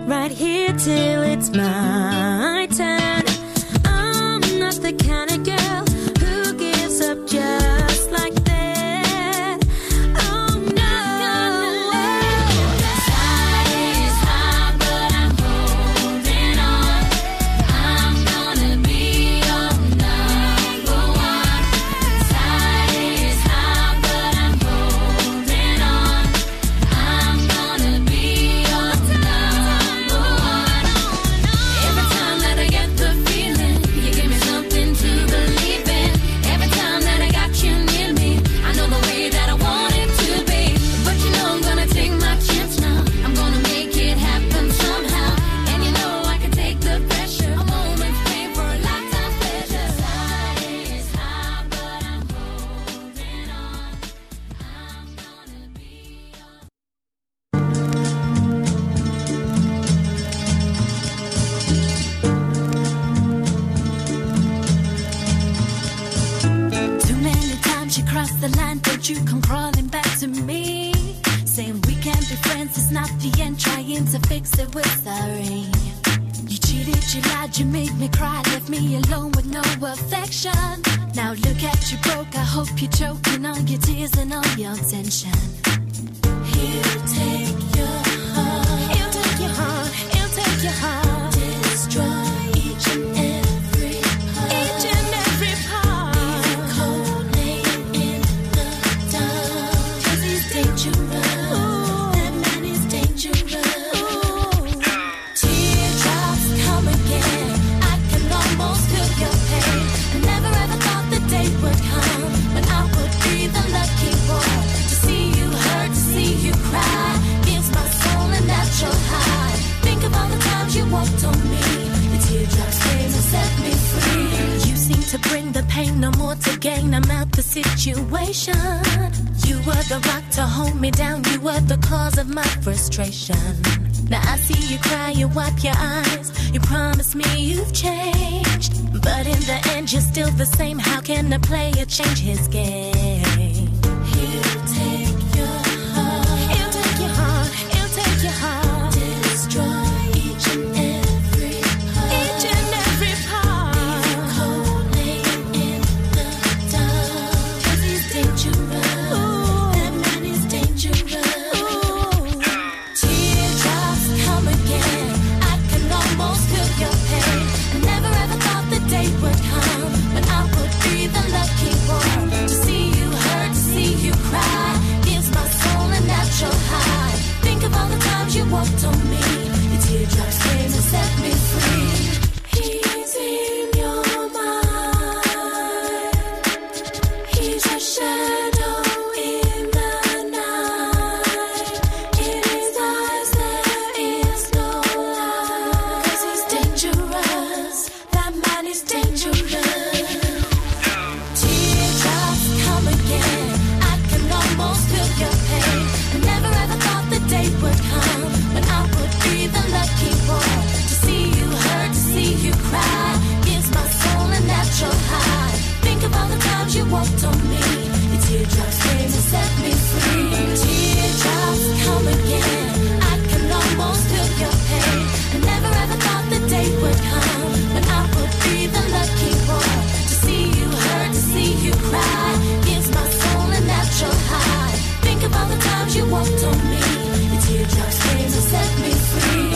Right here till it's my turn. I'm not the kind of girl who gives up just like that. Oh no. The tide is high, but I'm holding on. I'm gonna be your number one. The tide is high, but I'm holding on. cross the line, don't you come crawling back to me. Saying we can't be friends, it's not the end. Trying to fix it, we're sorry. You cheated, you lied, you made me cry. Left me alone with no affection. Now look at you broke, I hope you're choking on your tears and all your tension. He'll take your heart. He'll take your heart, he'll take your heart. Destroy each and every part. Each and every part. Leave you cold, laying in the dark. 'Cause he's dangerous. Ooh. That man is dangerous. Ooh. Teardrops come again. I can almost feel your pain. I never ever thought the day would come when I would be the lucky one. To see you hurt, to see you cry, gives my soul a natural high. Think of all the times you walked on me. The teardrops came and set me free. You seem to bring the pain, no more to gain. I'm out the situation. You were the rock to hold me down. You were the cause of my frustration. Now I see you cry, you wipe your eyes. You promise me you've changed, but in the end you're still the same. How can a player change his game? He'll take your heart. He'll take your heart. He'll take your heart. Destroy each and every part. Each and every part. Leave you cold, laying in the dark. 'Cause he's dangerous. Ooh. That man is dangerous. Ooh. Teardrops come again. I can almost feel your pain. I never ever thought the day would come when I would be the lucky one. To see you hurt, to see you cry, gives my soul a natural high. Think of all the times you walked on me. The teardrops came and set me free. He's in your mind. He's a shadow in the night. In his eyes there is no light. 'Cause he's dangerous. That man is dangerous. Teardrops come again. I can almost feel your pain. I never ever thought the day would come when I would be the lucky one. To see you hurt, to see you cry, gives my soul a natural high. Think of all the times you walked on me. The teardrops came and set me free. Teardrops come again. I can almost feel your pain. I never ever thought the day would come when I would be the lucky one. To see you hurt, to see you cry, gives my soul a natural high. Think of all the times you walked on me. The teardrops came and set me free.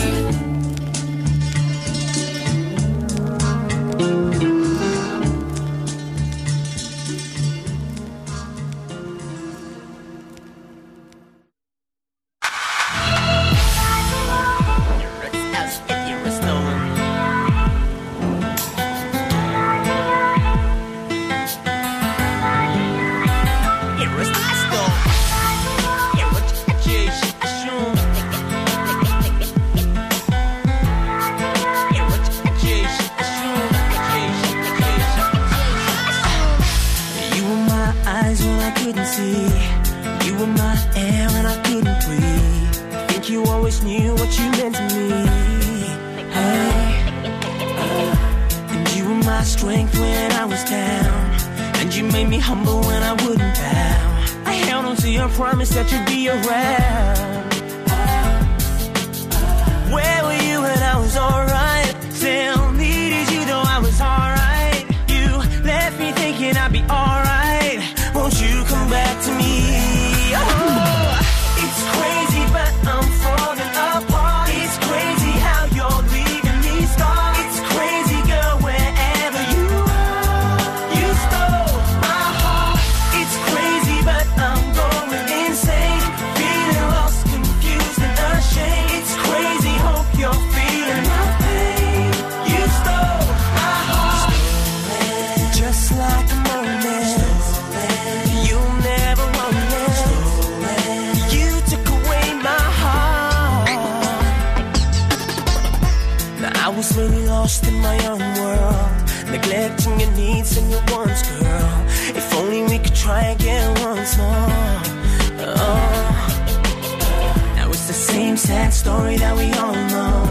Story that we all know.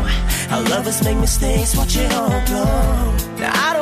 How lovers make mistakes, watch it all blow. Now I